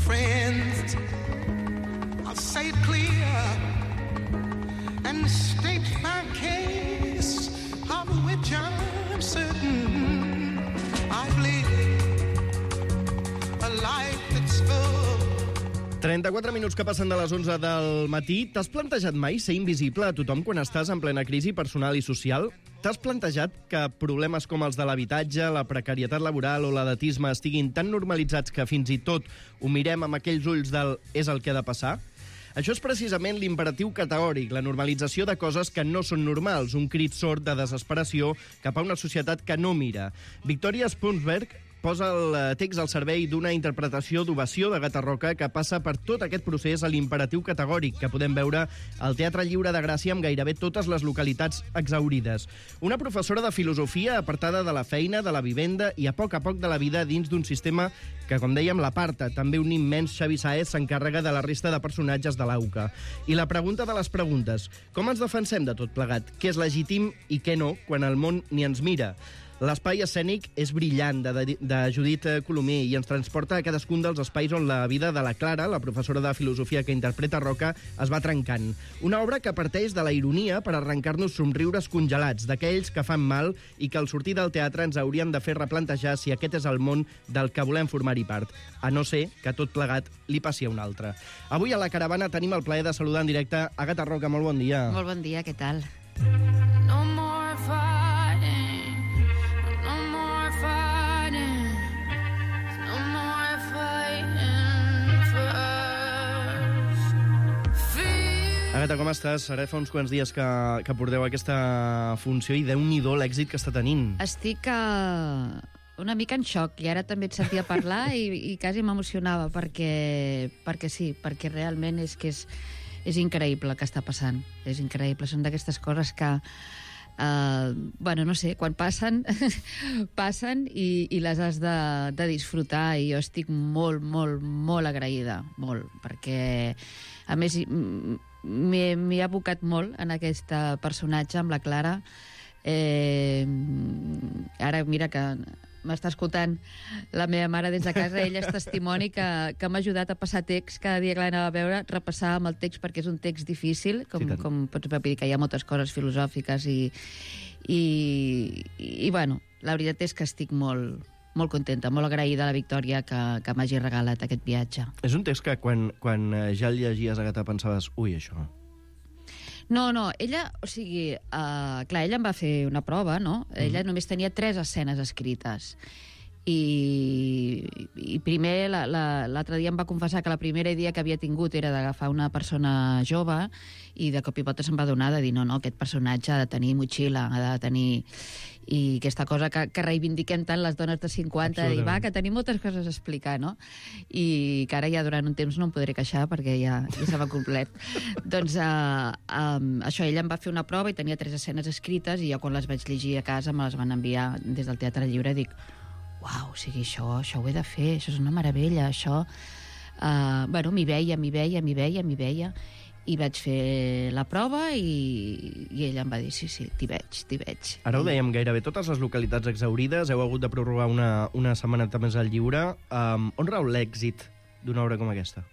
Friends, I'll say it clear and state my case, of which I'm certain. I've lived a life that's full. 34 minuts que passen de les 11 del matí. T'has plantejat mai ser invisible a tothom quan estàs en plena crisi personal i social? T'has plantejat que problemes com els de l'habitatge, la precarietat laboral o l'edatisme estiguin tan normalitzats que fins i tot ho mirem amb aquells ulls del és el que ha de passar? Això és precisament l'imperatiu categòric, la normalització de coses que no són normals, un crit sord de desesperació cap a una societat que no mira. Victoria Spunsberg posa el text al servei d'una interpretació d'ovació de Gatarroca que passa per tot aquest procés a l'imperatiu categòric que podem veure al Teatre Lliure de Gràcia amb gairebé totes les localitats exhaurides. Una professora de filosofia apartada de la feina, de la vivenda i a poc de la vida dins d'un sistema que, com dèiem, l'aparta. També un immens Xavi Sáez s'encarrega de la resta de personatges de l'AUCA. I la pregunta de les preguntes: com ens defensem de tot plegat? Què és legítim i què no, quan el món ni ens mira? L'espai escènic és brillant, de Judit Colomé, i ens transporta a cadascun dels espais on la vida de la Clara, la professora de filosofia que interpreta Roca, es va trencant. Una obra que parteix de la ironia per arrencar-nos somriures congelats, d'aquells que fan mal i que al sortir del teatre ens haurien de fer replantejar si aquest és el món del que volem formar-hi part, a no ser que tot plegat li passi a un altre. Avui a la caravana tenim el plaer de saludar en directe a Gata Roca. Molt bon dia. Molt bon dia, què tal? No more fighting. Agata, com estàs? Ara fa uns quants dies que porteu aquesta funció i Déu-n'hi-do l'èxit que està tenint. Estic una mica en xoc i ara també et sentia parlar i quasi m'emocionava perquè sí, perquè realment és increïble el que està passant. És increïble, són d'aquestes coses que bueno, no sé, quan passen passen i les has de disfrutar, i jo estic molt, molt, molt agraïda, molt, perquè a més m'he abocat molt en aquest personatge, amb la Clara. Ara mira que m'està escoltant la meva mare des de casa, ella és testimoni que m'ha ajudat a passar text cada dia que l'anava a veure, repassar amb el text, perquè és un text difícil, com pots dir, que hi ha moltes coses filosòfiques i bueno, la veritat és que estic molt contenta, molt agraïda a la Victòria que m'hagi regalat aquest viatge. És un text que quan ja el llegies, Agata, pensaves, ui, això... No, ella, o sigui, clar, ella em va fer una prova, no? Ella només tenia 3 escenes escrites. I primer, l'altre dia em va confessar que la primera idea que havia tingut era d'agafar una persona jove, i de cop i volta se'm va donar de dir, no, aquest personatge ha de tenir motxilla, ha de tenir... I aquesta cosa que reivindiquem tant les dones de 50, i va, que tenim moltes coses a explicar, no? I que ara ja durant un temps no em podré queixar perquè ja se m'ha complet. Doncs això, ella em va fer una prova i tenia 3 escenes escrites, i jo quan les vaig llegir a casa me les van enviar des del Teatre Lliure, dic, uau, o sigui, això ho he de fer, això és una meravella, això... Bueno, m'hi veia, i vaig fer la prova i ella em va dir, sí, t'hi veig. Ara ho dèiem, gairebé totes les localitats exhaurides, heu hagut de prorrogar una setmaneta més al lliure. On rau l'èxit d'una obra com aquesta?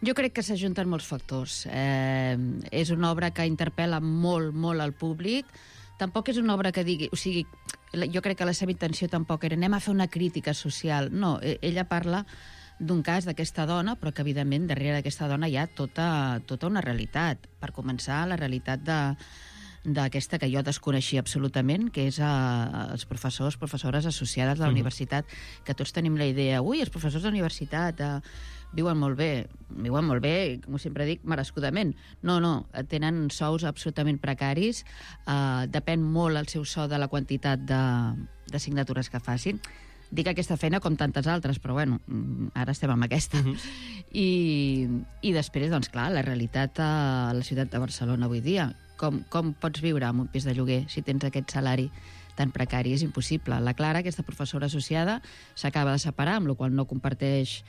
Jo crec que s'ajunten molts factors. És una obra que interpel·la molt, molt al públic. Tampoc és una obra que digui... O sigui, jo crec que la seva intenció tampoc era anem a fer una crítica social. No, ella parla d'un cas d'aquesta dona, però que, evidentment, darrere d'aquesta dona hi ha tota una realitat. Per començar, la realitat d'aquesta que jo desconeixia absolutament, que és els professores associades de la universitat, que tots tenim la idea, els professors de la universitat viuen molt bé, com sempre dic, merescudament. No, tenen sous absolutament precaris, depèn molt el seu sou de la quantitat d'assignatures que facin. Dic aquesta feina com tantes altres, però bueno, ara estem amb aquesta. I després, doncs clar, la realitat a la ciutat de Barcelona avui dia. Com pots viure en un pis de lloguer si tens aquest salari tan precari? És impossible. La Clara, aquesta professora associada, s'acaba de separar, amb la qual no comparteix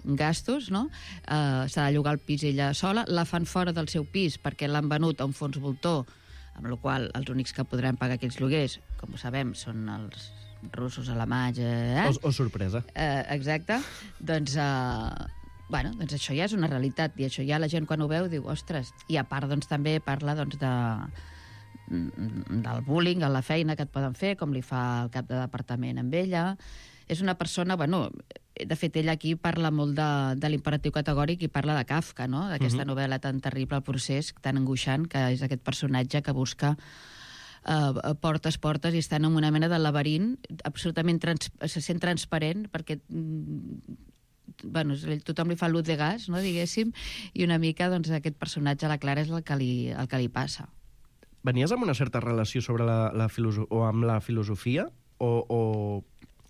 gastos, no? S'ha de llogar el pis ella sola, la fan fora del seu pis perquè l'han venut a un fons voltor, amb la qual els únics que podran pagar aquests lloguers, com ho sabem, són els russos, alemanys... O sorpresa. Exacte. Doncs això ja és una realitat, i això ja la gent quan ho veu diu, ostres, i a part doncs també parla doncs del bullying a la feina que et poden fer, com li fa el cap de departament amb ella. És una persona, de fet ella aquí parla molt de l'imperatiu categòric i parla de Kafka, no? D'aquesta novel·la tan terrible, el procés, tan angoixant, que és aquest personatge que busca portes i estan en una mena de laberint absolutament se sent transparent perquè tothom li fa l'ut de gas, no, diguéssim, i una mica aquest personatge a la Clara és el que li passa. Venies amb una certa relació sobre amb la filosofia o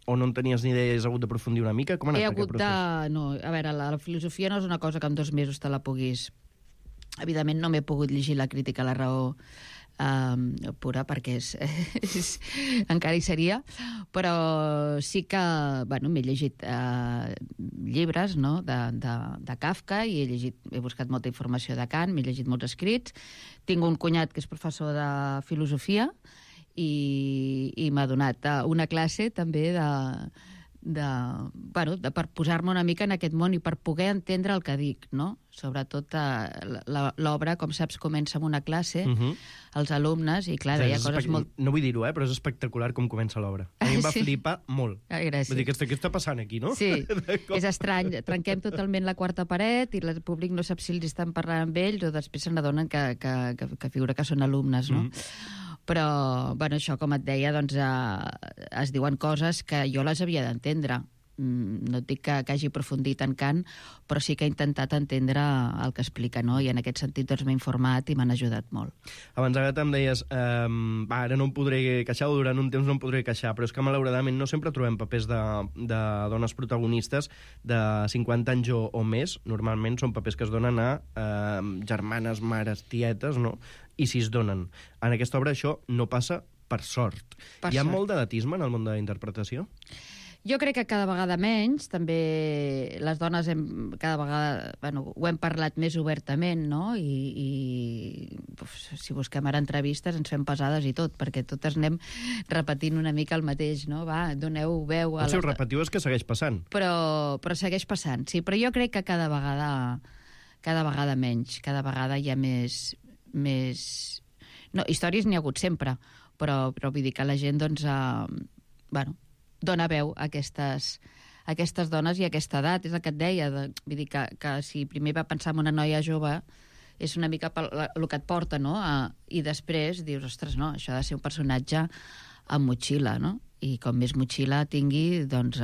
o no en tenies ni idea i has hagut d'aprofundir una mica? Com ha anat aquest procés? No, a veure, la filosofia no és una cosa que en 2 mesos te la puguis... Evidentment no m'he pogut llegir la crítica a la raó pura, perquè encara hi seria, però sí que m'he llegit llibres, no?, de Kafka, i he buscat molta informació de Kant, m'he llegit molts escrits. Tinc un cunyat que és professor de filosofia i m'ha donat una classe també per posar-me una mica en aquest món i per poder entendre el que dic, no? Sobretot l'obra, com saps, comença amb una classe, els alumnes, i clar, hi ha coses molt... No vull dir-ho, però és espectacular com comença l'obra. A mi em va flipar molt. Gràcies. Vull dir, què està passant aquí, no? Sí, és estrany. Trenquem totalment la quarta paret i el públic no sap si els estan parlant amb ells o després se n'adonen que figura que són alumnes, no? Però, això, com et deia, doncs es diuen coses que jo les havia d'entendre. No et dic que hagi aprofundit en Kant, però sí que he intentat entendre el que explica, no? I en aquest sentit doncs m'he informat i m'han ajudat molt. Abans ara em deies, ara no em podré queixar, o durant un temps no em podré queixar, però és que malauradament no sempre trobem papers de dones protagonistes de 50 anys o més. Normalment són papers que es donen a germanes, mares, tietes, no? I si es donen. En aquesta obra això no passa per sort. Hi ha molt d'edatisme en el món de la interpretació? Jo crec que cada vegada menys, també les dones cada vegada, ho hem parlat més obertament, no? I si busquem ara entrevistes ens fem pesades i tot, perquè totes anem repetint una mica el mateix, no? Va, doneu veu... Si ho repetiu és que segueix passant. Però segueix passant, sí. Però jo crec que cada vegada menys, cada vegada hi ha més... No, històries n'hi ha hagut sempre, però vull dir que la gent, doncs, dona veu a aquestes dones i a aquesta edat. És el que et deia, vull dir que si primer va pensar en una noia jove, és una mica el que et porta, no? I després dius, ostres, no, això ha de ser un personatge amb motxilla, no? I com més motxilla tingui, doncs...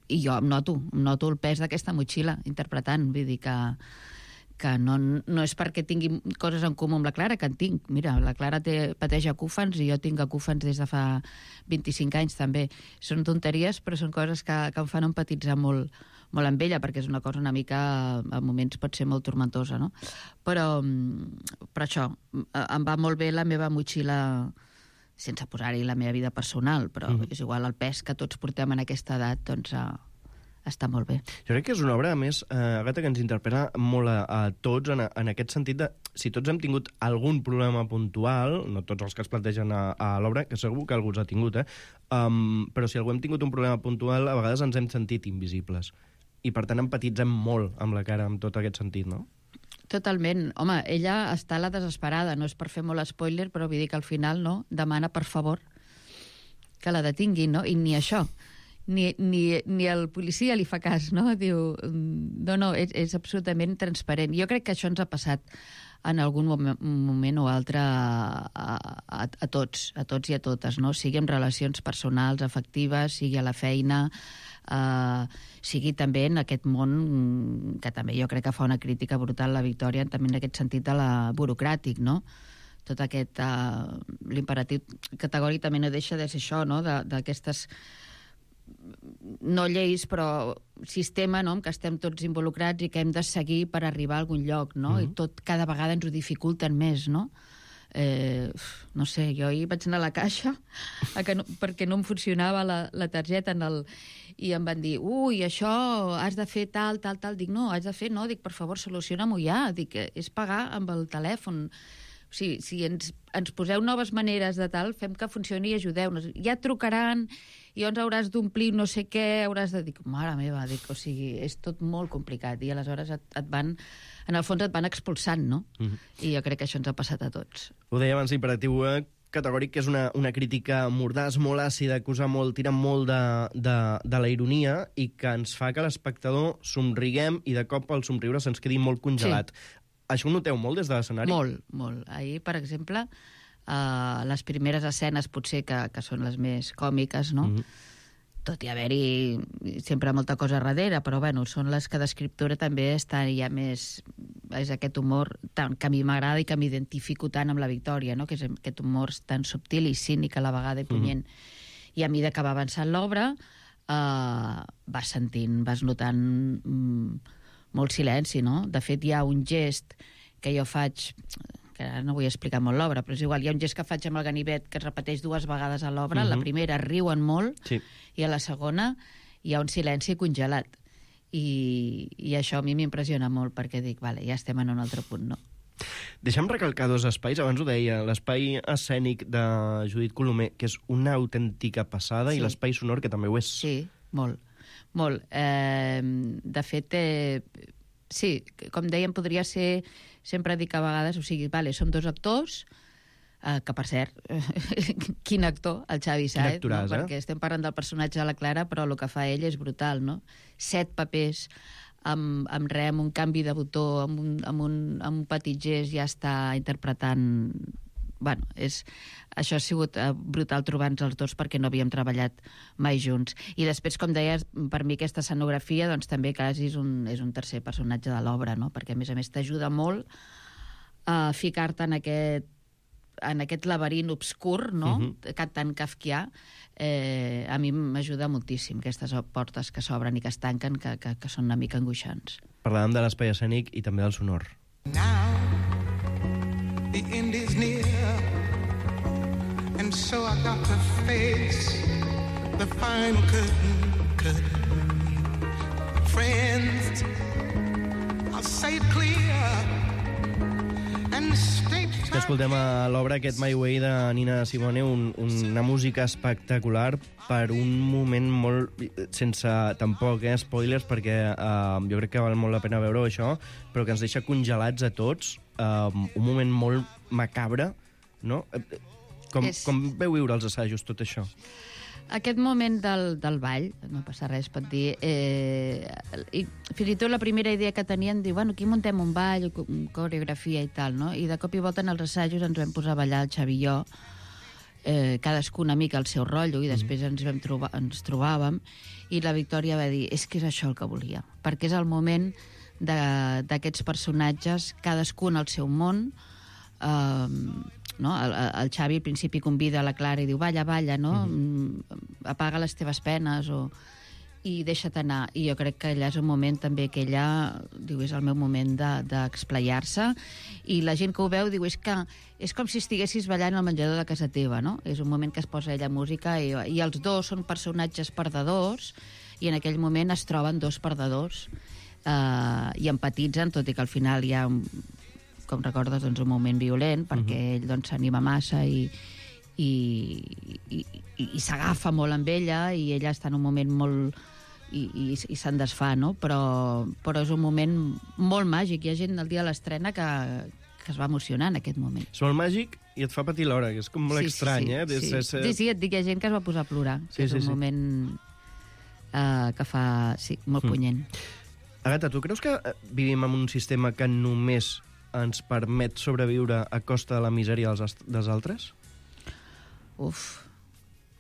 I jo em noto el pes d'aquesta motxilla interpretant, vull dir que no és perquè tingui coses en comú amb la Clara, que en tinc. Mira, la Clara pateix acúfens i jo tinc acúfens des de fa 25 anys també. Són tonteries, però són coses que em fan empatitzar molt amb ella, perquè és una cosa una mica, a moments pot ser molt tormentosa, no? Però això, em va molt bé la meva motxilla, sense posar-hi la meva vida personal, però és igual el pes que tots portem en aquesta edat, doncs... està molt bé. Jo crec que és una obra, a més, Àgata, que ens interpel·la molt a tots en aquest sentit de si tots hem tingut algun problema puntual, no tots els que es plantegen a l'obra, que segur que algú els ha tingut, però si algú hem tingut un problema puntual, a vegades ens hem sentit invisibles. I, per tant, empatitzem molt amb la Cara, en tot aquest sentit, no? Totalment. Home, ella està a la desesperada, no és per fer molt spoiler, però vull dir que al final, no, demana, per favor, que la detinguin, no? I ni això. Ni el policia li fa cas, no? Diu, no, és absolutament transparent. Jo crec que això ens ha passat en algun moment o altre a tots i a totes, no? Sigui en relacions personals, afectives, sigui a la feina, sigui també en aquest món que també jo crec que fa una crítica brutal la Victòria, també en aquest sentit de la burocràtic, no? Tot aquest... l'imperatiu categòric també no deixa de ser això, no? D'aquestes... no lleis, però sistema, no?, en què estem tots involucrats i que hem de seguir per arribar a algun lloc, no? I tot cada vegada ens ho dificulten més, no? No sé, jo ahir vaig anar a la caixa perquè no em funcionava la targeta i em van dir, ui, això has de fer tal. Dic, no, has de fer, no, dic, per favor, soluciona-m'ho ja. Dic, és pagar amb el telèfon. O sigui, si ens poseu noves maneres de tal, fem que funcioni i ajudeu-nos. Ja et trucaran i llavors hauràs d'omplir no sé què, hauràs de dir, mare meva, dic, o sigui, és tot molt complicat i aleshores et van, en el fons et van expulsant, no? I jo crec que això ens ha passat a tots. Ho deia abans, l'imperatiu categòric, que és una crítica mordàs, molt àcida, que usa molt, tira molt de la ironia i que ens fa que l'espectador somriguem i de cop el somriure se'ns quedi molt congelat. Sí. Això ho noteu molt des de l'escenari? Molt. Ahir, per exemple, les primeres escenes potser que són les més còmiques, no? Tot i haver-hi sempre molta cosa darrere, però bueno, són les que d'escriptura també estan ja més... És aquest humor tant que a mi m'agrada i que m'identifico tant amb la Victòria, no? Que és aquest humor tan subtil i cínic a la vegada i punyent. I a mesura que va avançant l'obra, vas notant molt silenci, no? De fet, hi ha un gest que jo faig, que ara no vull explicar molt l'obra, però és igual, hi ha un gest que faig amb el ganivet que es repeteix 2 vegades a l'obra. La primera riuen molt, i a la segona hi ha un silenci congelat. I això a mi m'impressiona molt, perquè dic, vale, ja estem en un altre punt, no? Deixa'm recalcar 2 espais, abans ho deia, l'espai escènic de Judit Colomer, que és una autèntica passada, i l'espai sonor, que també ho és. Sí, molt. Molt. De fet, sí, com dèiem, podria ser, sempre dic a vegades, o sigui, vale, som 2 actors, que per cert, quin actor, el Xavi Sáez, no? Perquè estem parlant del personatge de la Clara, però el que fa ell és brutal, no? 7 papers, amb un canvi de botó, amb un petit gest ja està interpretant... Bueno, això ha sigut brutal trobar-nos els 2 perquè no havíem treballat mai junts. I després, com deies, per mi aquesta escenografia doncs, també quasi és un tercer personatge de l'obra, no? Perquè a més t'ajuda molt a ficar-te en aquest laberint obscur, no? Tan kafkià. A mi m'ajuda moltíssim aquestes portes que s'obren i que es tanquen, que són una mica angoixants. Parlàvem de l'espai escènic i també del sonor. The end is near, and so I got to face the final curtain. Friends, I'll say it clear and state... Que escoltem a l'obra aquest My Way de Nina Simone, una música espectacular per un moment molt... sense tampoc spoilers, perquè jo crec que val molt la pena veure això, però que ens deixa congelats a tots. Un moment molt macabre, no? Com veu viure els assajos tot això? Aquest moment del ball, no passa res, pot dir, i fins i tot la primera idea que tenien, diu, bueno, aquí muntem un ball, coreografia i tal, no? I de cop i volta en els assajos ens vam posar a ballar el Xavi i jo, cadascú una mica al seu rotllo, i després ens trobàvem, i la Victòria va dir, és que és això el que volia, perquè és el moment d'aquests personatges, cadascun al seu món, no? El Xavi al principi convida la Clara i diu, balla, no? Apaga les teves penes, i deixa't anar. I jo crec que allà és un moment també que ella diu, és el meu moment d'explayar-se, i la gent que ho veu diu, és com si estiguessis ballant al menjador de casa teva, no? És un moment que es posa ella música, i els 2 són personatges perdedors, i en aquell moment es troben 2 perdedors, i empatitzen, tot i que al final hi ha, com recordes, doncs, un moment violent, perquè ell doncs, s'anima massa i s'agafa molt amb ella, i ella està en un moment molt... i se'n desfà, no? Però és un moment molt màgic. Hi ha gent el dia de l'estrena que es va emocionar en aquest moment. És molt màgic i et fa patir l'hora, que és com molt estrany, eh? Sí, et dic, hi ha gent que es va posar a plorar. És un moment que fa... Sí, molt punyent. Agata, tu creus que vivim en un sistema que només ens permet sobreviure a costa de la misèria dels altres?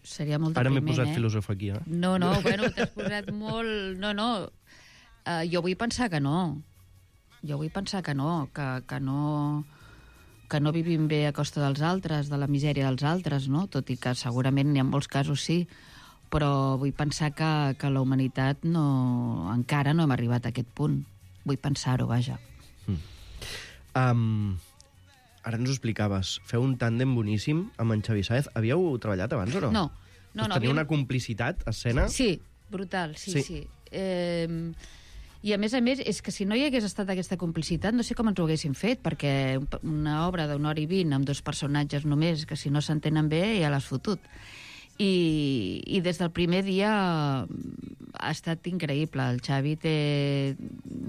Seria molt depriment, Ara m'he posat filòsof aquí, eh? No, bueno, t'has posat molt... No. Jo vull pensar que no. Que no vivim bé a costa dels altres, de la misèria dels altres, no? Tot i que segurament en molts casos sí, però vull pensar que la humanitat encara no hem arribat a aquest punt. Vull pensar-ho, vaja. Ara ens ho explicaves. Feu un tàndem boníssim amb en Xavi Sáez. Havíeu treballat abans o no? No. Teniu una complicitat a escena? Sí, brutal, sí. I a més, és que si no hi hagués estat aquesta complicitat, no sé com ens ho haguéssim fet, perquè una obra d'una hora i 20 amb 2 personatges només, que si no s'entenen bé ja l'has fotut. I des del primer dia ha estat increïble. El Xavi té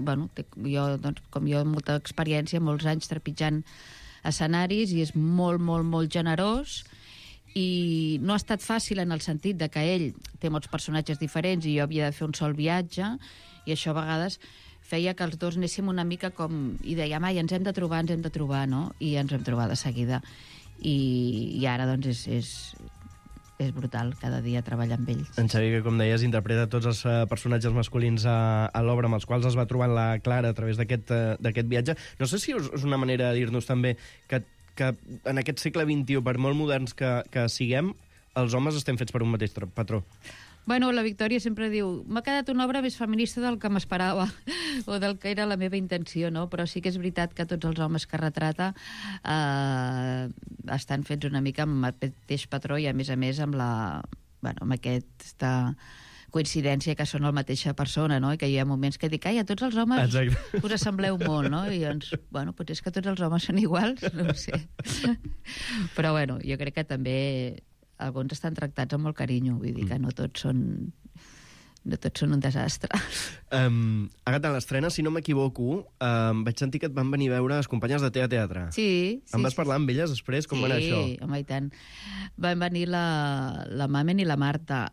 com jo, molta experiència, molts anys trepitjant escenaris, i és molt, molt, molt generós, i no ha estat fàcil en el sentit de que ell té molts personatges diferents i jo havia de fer un sol viatge, i això a vegades feia que els 2 anéssim una mica com... i dèiem, ens hem de trobar, no? I ens vam trobar de seguida. I ara, doncs, és brutal cada dia treballar amb ells. En Xavi, que com deies, interpreta tots els personatges masculins a l'obra amb els quals es va trobant la Clara a través d'aquest viatge. No sé si és una manera de dir-nos també que en aquest segle XXI, per molt moderns que siguem, els homes estem fets per un mateix patró? Bueno, la Victòria sempre diu m'ha quedat una obra més feminista del que m'esperava o del que era la meva intenció, no? Però sí que és veritat que tots els homes que retrata estan fets una mica amb el mateix patró i, a més, amb aquesta coincidència que són la mateixa persona, no? I que hi ha moments que dic, a tots els homes us assembleu molt, no? I doncs, potser és que tots els homes són iguals, no ho sé. Però, jo crec que també alguns estan tractats amb molt carinyo, vull dir que no tots són un desastre. Agatha, a l'estrena, si no m'equivoco, vaig sentir que et van venir a veure les companyes de Teatre. Sí. Em vas parlar amb elles després? Com va anar això? Sí, home, i tant. Van venir la Mamen i la Marta.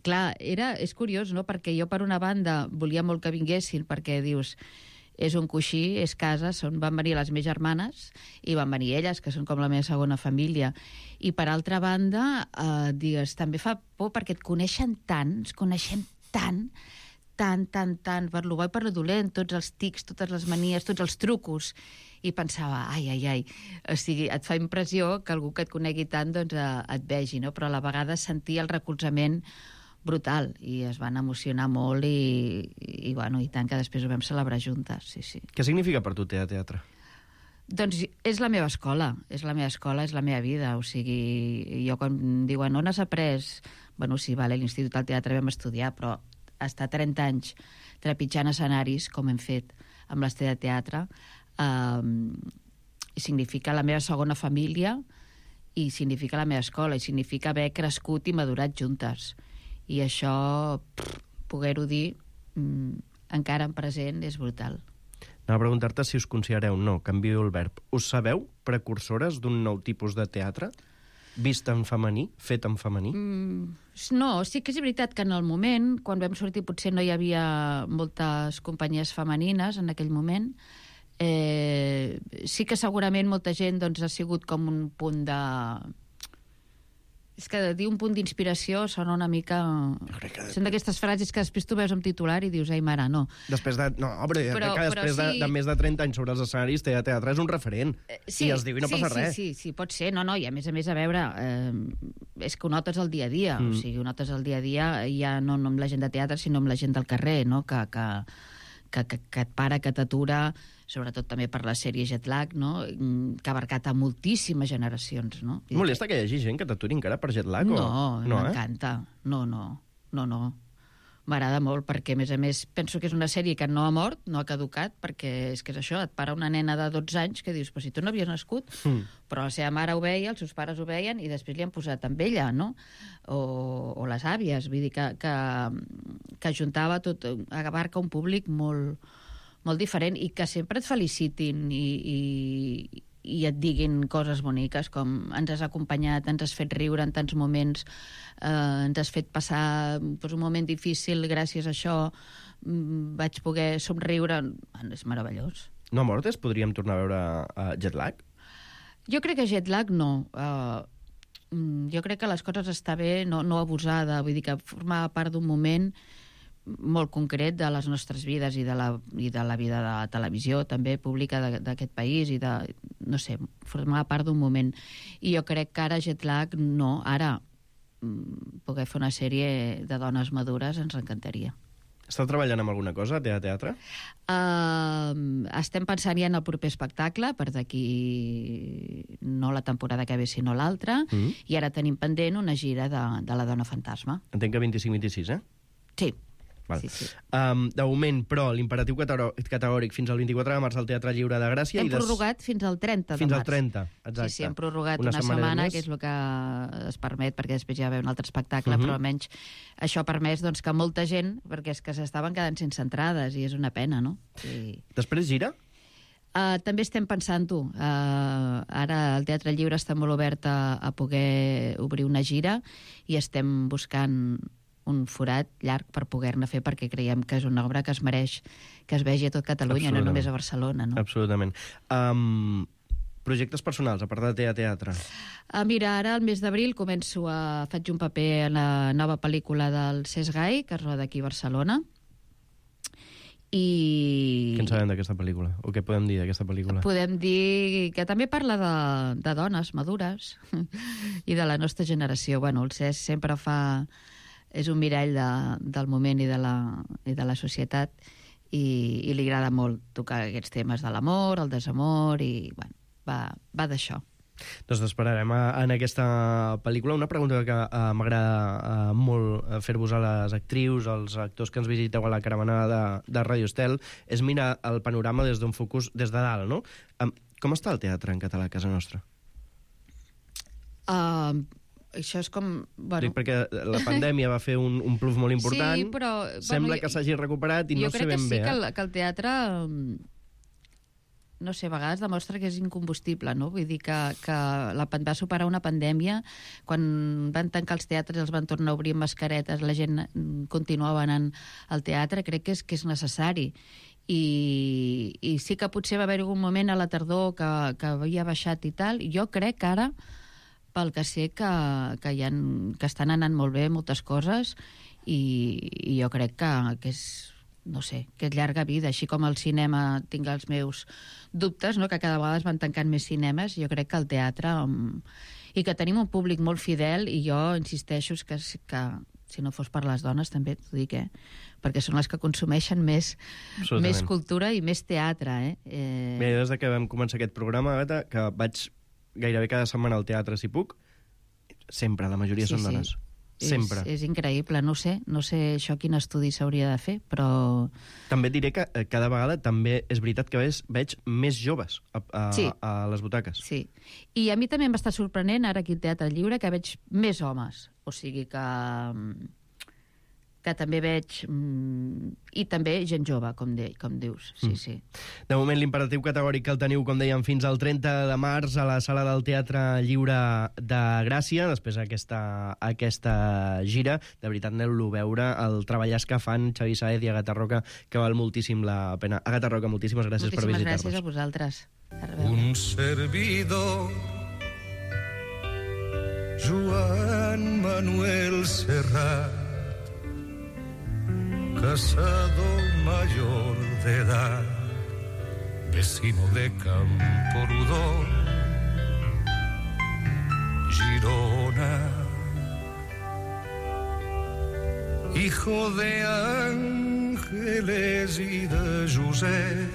Clar, és curiós, no?, perquè jo, per una banda, volia molt que vinguessin, perquè dius, és un coixí, és casa, van venir les meves germanes i van venir elles, que són com la meva segona família. I, per altra banda, digues, també fa por perquè et coneixen tant, ens coneixem tant, per lo bo i per lo dolent, tots els tics, totes les manies, tots els trucos. I pensava, ai. O sigui, et fa impressió que algú que et conegui tant doncs et vegi, no? Però a la vegada sentia el recolzament brutal, i es van emocionar molt i tant que després ho vam celebrar juntes, sí. Què significa per tu Teatre? Doncs és la meva escola, és la meva vida, o sigui, jo quan diuen on has après? Sí, a l'Institut del Teatre vam estudiar, però estar 30 anys trepitjant escenaris, com hem fet amb l'Estela de Teatre, significa la meva segona família i significa la meva escola, i significa haver crescut i madurat juntes. I això, poder-ho dir, encara en present, és brutal. Anava a preguntar-te si us considereu, canvio el verb, us sabeu precursores d'un nou tipus de teatre? Vist en femení, fet en femení? No, sí que és veritat que en el moment, quan vam sortir, potser no hi havia moltes companyies femenines en aquell moment. Sí que segurament molta gent ha sigut com un punt de... És que dir un punt d'inspiració sona una mica... Són d'aquestes frases que després tu veus en titular i dius, ai, mare, no. Després de més de 30 anys sobre els escenaris, Teatre és un referent. I es diu i no passa res. Sí, pot ser. No, i a més, a veure, és que ho notes el dia a dia. O sigui, ho notes el dia a dia ja no amb la gent de teatre, sinó amb la gent del carrer, no? Que et para, que t'atura, sobretot també per la sèrie Jetlag, no? Que ha abarcat a moltíssimes generacions, no? Molesta que hi hagi gent que t'aturi encara per Jetlag? No, m'encanta. No. M'agrada molt, perquè, a més, penso que és una sèrie que no ha mort, no ha caducat, perquè és que és això, et para una nena de 12 anys que dius, però si tu no havies nascut, però la seva mare ho veia, els seus pares ho veien, i després li han posat amb ella, no? O les àvies, vull dir que ajuntava tot, abarca un públic molt diferent, i que sempre et felicitin i et diguin coses boniques, com ens has acompanyat, ens has fet riure en tants moments, ens has fet passar un moment difícil, gràcies a això vaig poder somriure. És meravellós. No mortes? Podríem tornar a veure Jetlag? Jo crec que Jetlag no. Jo crec que les coses està bé no abusar de, vull dir que formar part d'un moment molt concret de les nostres vides i de la vida de la televisió també pública d'aquest país i de, no sé, formar part d'un moment. I jo crec que ara Jetlag no, ara poder fer una sèrie de dones madures ens encantaria. Esteu treballant amb alguna cosa a teatre? Estem pensant ja en el proper espectacle, per d'aquí no la temporada que ve sinó l'altra, i ara tenim pendent una gira de la Dona Fantasma. Entenc que 25-26, Sí. Sí. De moment, però, l'imperatiu categòric fins al 24 de març al Teatre Lliure de Gràcia. Hem prorrogat fins al 30 de març. Fins al 30, exacte. Sí, hem prorrogat una setmana, que és el que es permet, perquè després ja ve un altre espectacle, però almenys això ha permès que molta gent, perquè és que s'estaven quedant sense entrades, i és una pena, no? Després gira? També estem pensant-ho. Ara el Teatre Lliure està molt obert a poder obrir una gira, i estem buscant un forat llarg per poder-ne fer, perquè creiem que és una obra que es mereix que es vegi a tot Catalunya, no només a Barcelona, no? Absolutament. Projectes personals, a part de teatre? Mira, ara al mes d'abril faig un paper en la nova pel·lícula del Cesc Gai, que es roda aquí a Barcelona, Què en sabem d'aquesta pel·lícula? O què podem dir d'aquesta pel·lícula? Podem dir que també parla de dones madures i de la nostra generació. Bueno, el Cesc sempre és un mirall del moment i de la societat i li agrada molt tocar aquests temes de l'amor, el desamor i, bueno, va d'això. Doncs t'esperarem en aquesta pel·lícula. Una pregunta que m'agrada molt fer-vos a les actrius, als actors que ens visiteu a la caravana de Radio Estel, és mirar el panorama des d'un focus des de dalt, no? Com està el teatre en català a casa nostra? Això és com... Bueno. Dic perquè la pandèmia va fer un plus molt important. Sí, però... Sembla que s'hagi recuperat i no sé ben bé. Jo crec que sí, que el teatre... no sé, a vegades demostra que és incombustible, no? Vull dir que va superar una pandèmia, quan van tancar els teatres i els van tornar a obrir amb mascaretes, la gent continuava anant al teatre, crec que és necessari. I sí que potser va haver-hi un moment a la tardor que havia baixat i tal, i jo crec que ara, pel que sé, que estan anant molt bé moltes coses, i jo crec que és... no sé, que és llarga vida, així com el cinema tinc els meus dubtes, no? Que cada vegada es van tancant més cinemes, jo crec que el teatre i que tenim un públic molt fidel, i jo insisteixo que si no fos per les dones també t'ho dic, perquè són les que consumeixen més cultura i més teatre. Bé, des que vam començar aquest programa, Àgata, que vaig gairebé cada setmana al teatre si puc, sempre, la majoria són dones. Sempre. És increïble, no sé això quin estudi s'hauria de fer, però... També diré que cada vegada també és veritat que veig més joves a les butaques. Sí, i a mi també m'està sorprenent ara aquí al Teatre Lliure que veig més homes, o sigui que també veig... I també gent jove, com dius. Sí. De moment, l'imperatiu categòric que el teniu, com dèiem, fins al 30 de març a la sala del Teatre Lliure de Gràcia. Després aquesta gira. De veritat, aneu-lo a veure, el treballàs que fan Xavi Saez i Àgata Roca, que val moltíssim la pena. Àgata Roca, moltíssimes gràcies per visitar-nos. Moltíssimes gràcies a vosaltres. Un servidor, Joan Manuel Serrat, casado mayor de edad, vecino de Camprodon, Girona, hijo de Ángeles y de Josep,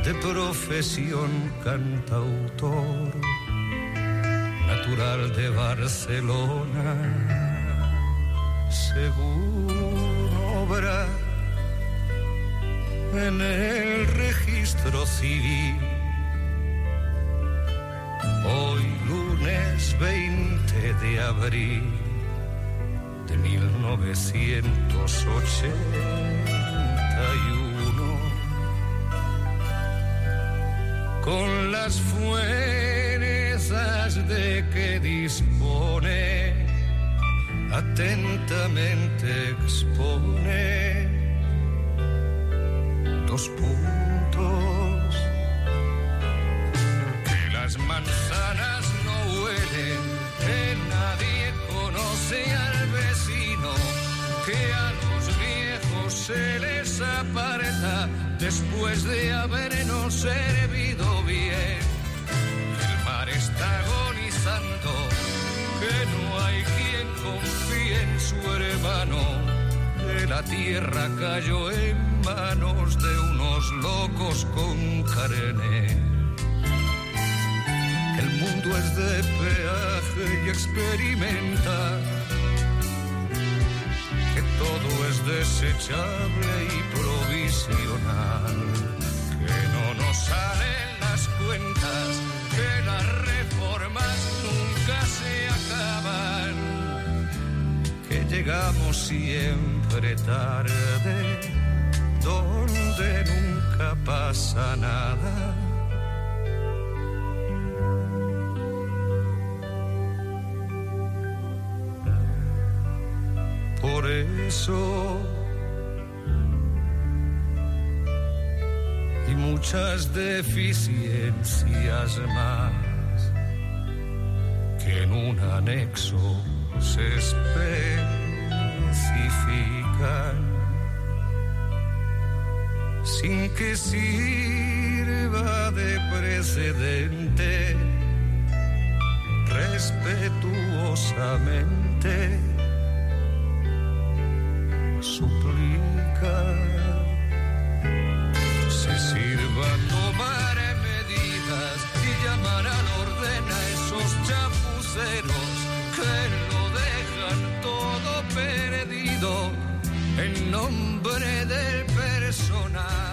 de profesión cantautor, natural de Barcelona, según obra en el registro civil. Hoy lunes 20 de abril de 1981, con las fuerzas de que dispone, atentamente expone 2 puntos: que las manzanas no huelen, que nadie conoce al vecino, que a los viejos se les aparta después de habernos servido bien, que el mar está agonizando, que no hay quien confíe en su hermano, que la tierra cayó en manos de unos locos con carne, que el mundo es de peaje y experimenta, que todo es desechable y provisional, que no nos salen las cuentas, que las reformas nunca se acaban, que llegamos siempre tarde, donde nunca pasa nada. Por eso y muchas deficiencias más que en un anexo se especifican, sin que sirva de precedente, respetuosamente suplica se sirva tomar medidas y llamar al orden a esos chapuceros que lo dejan todo perdido en nombre del personal.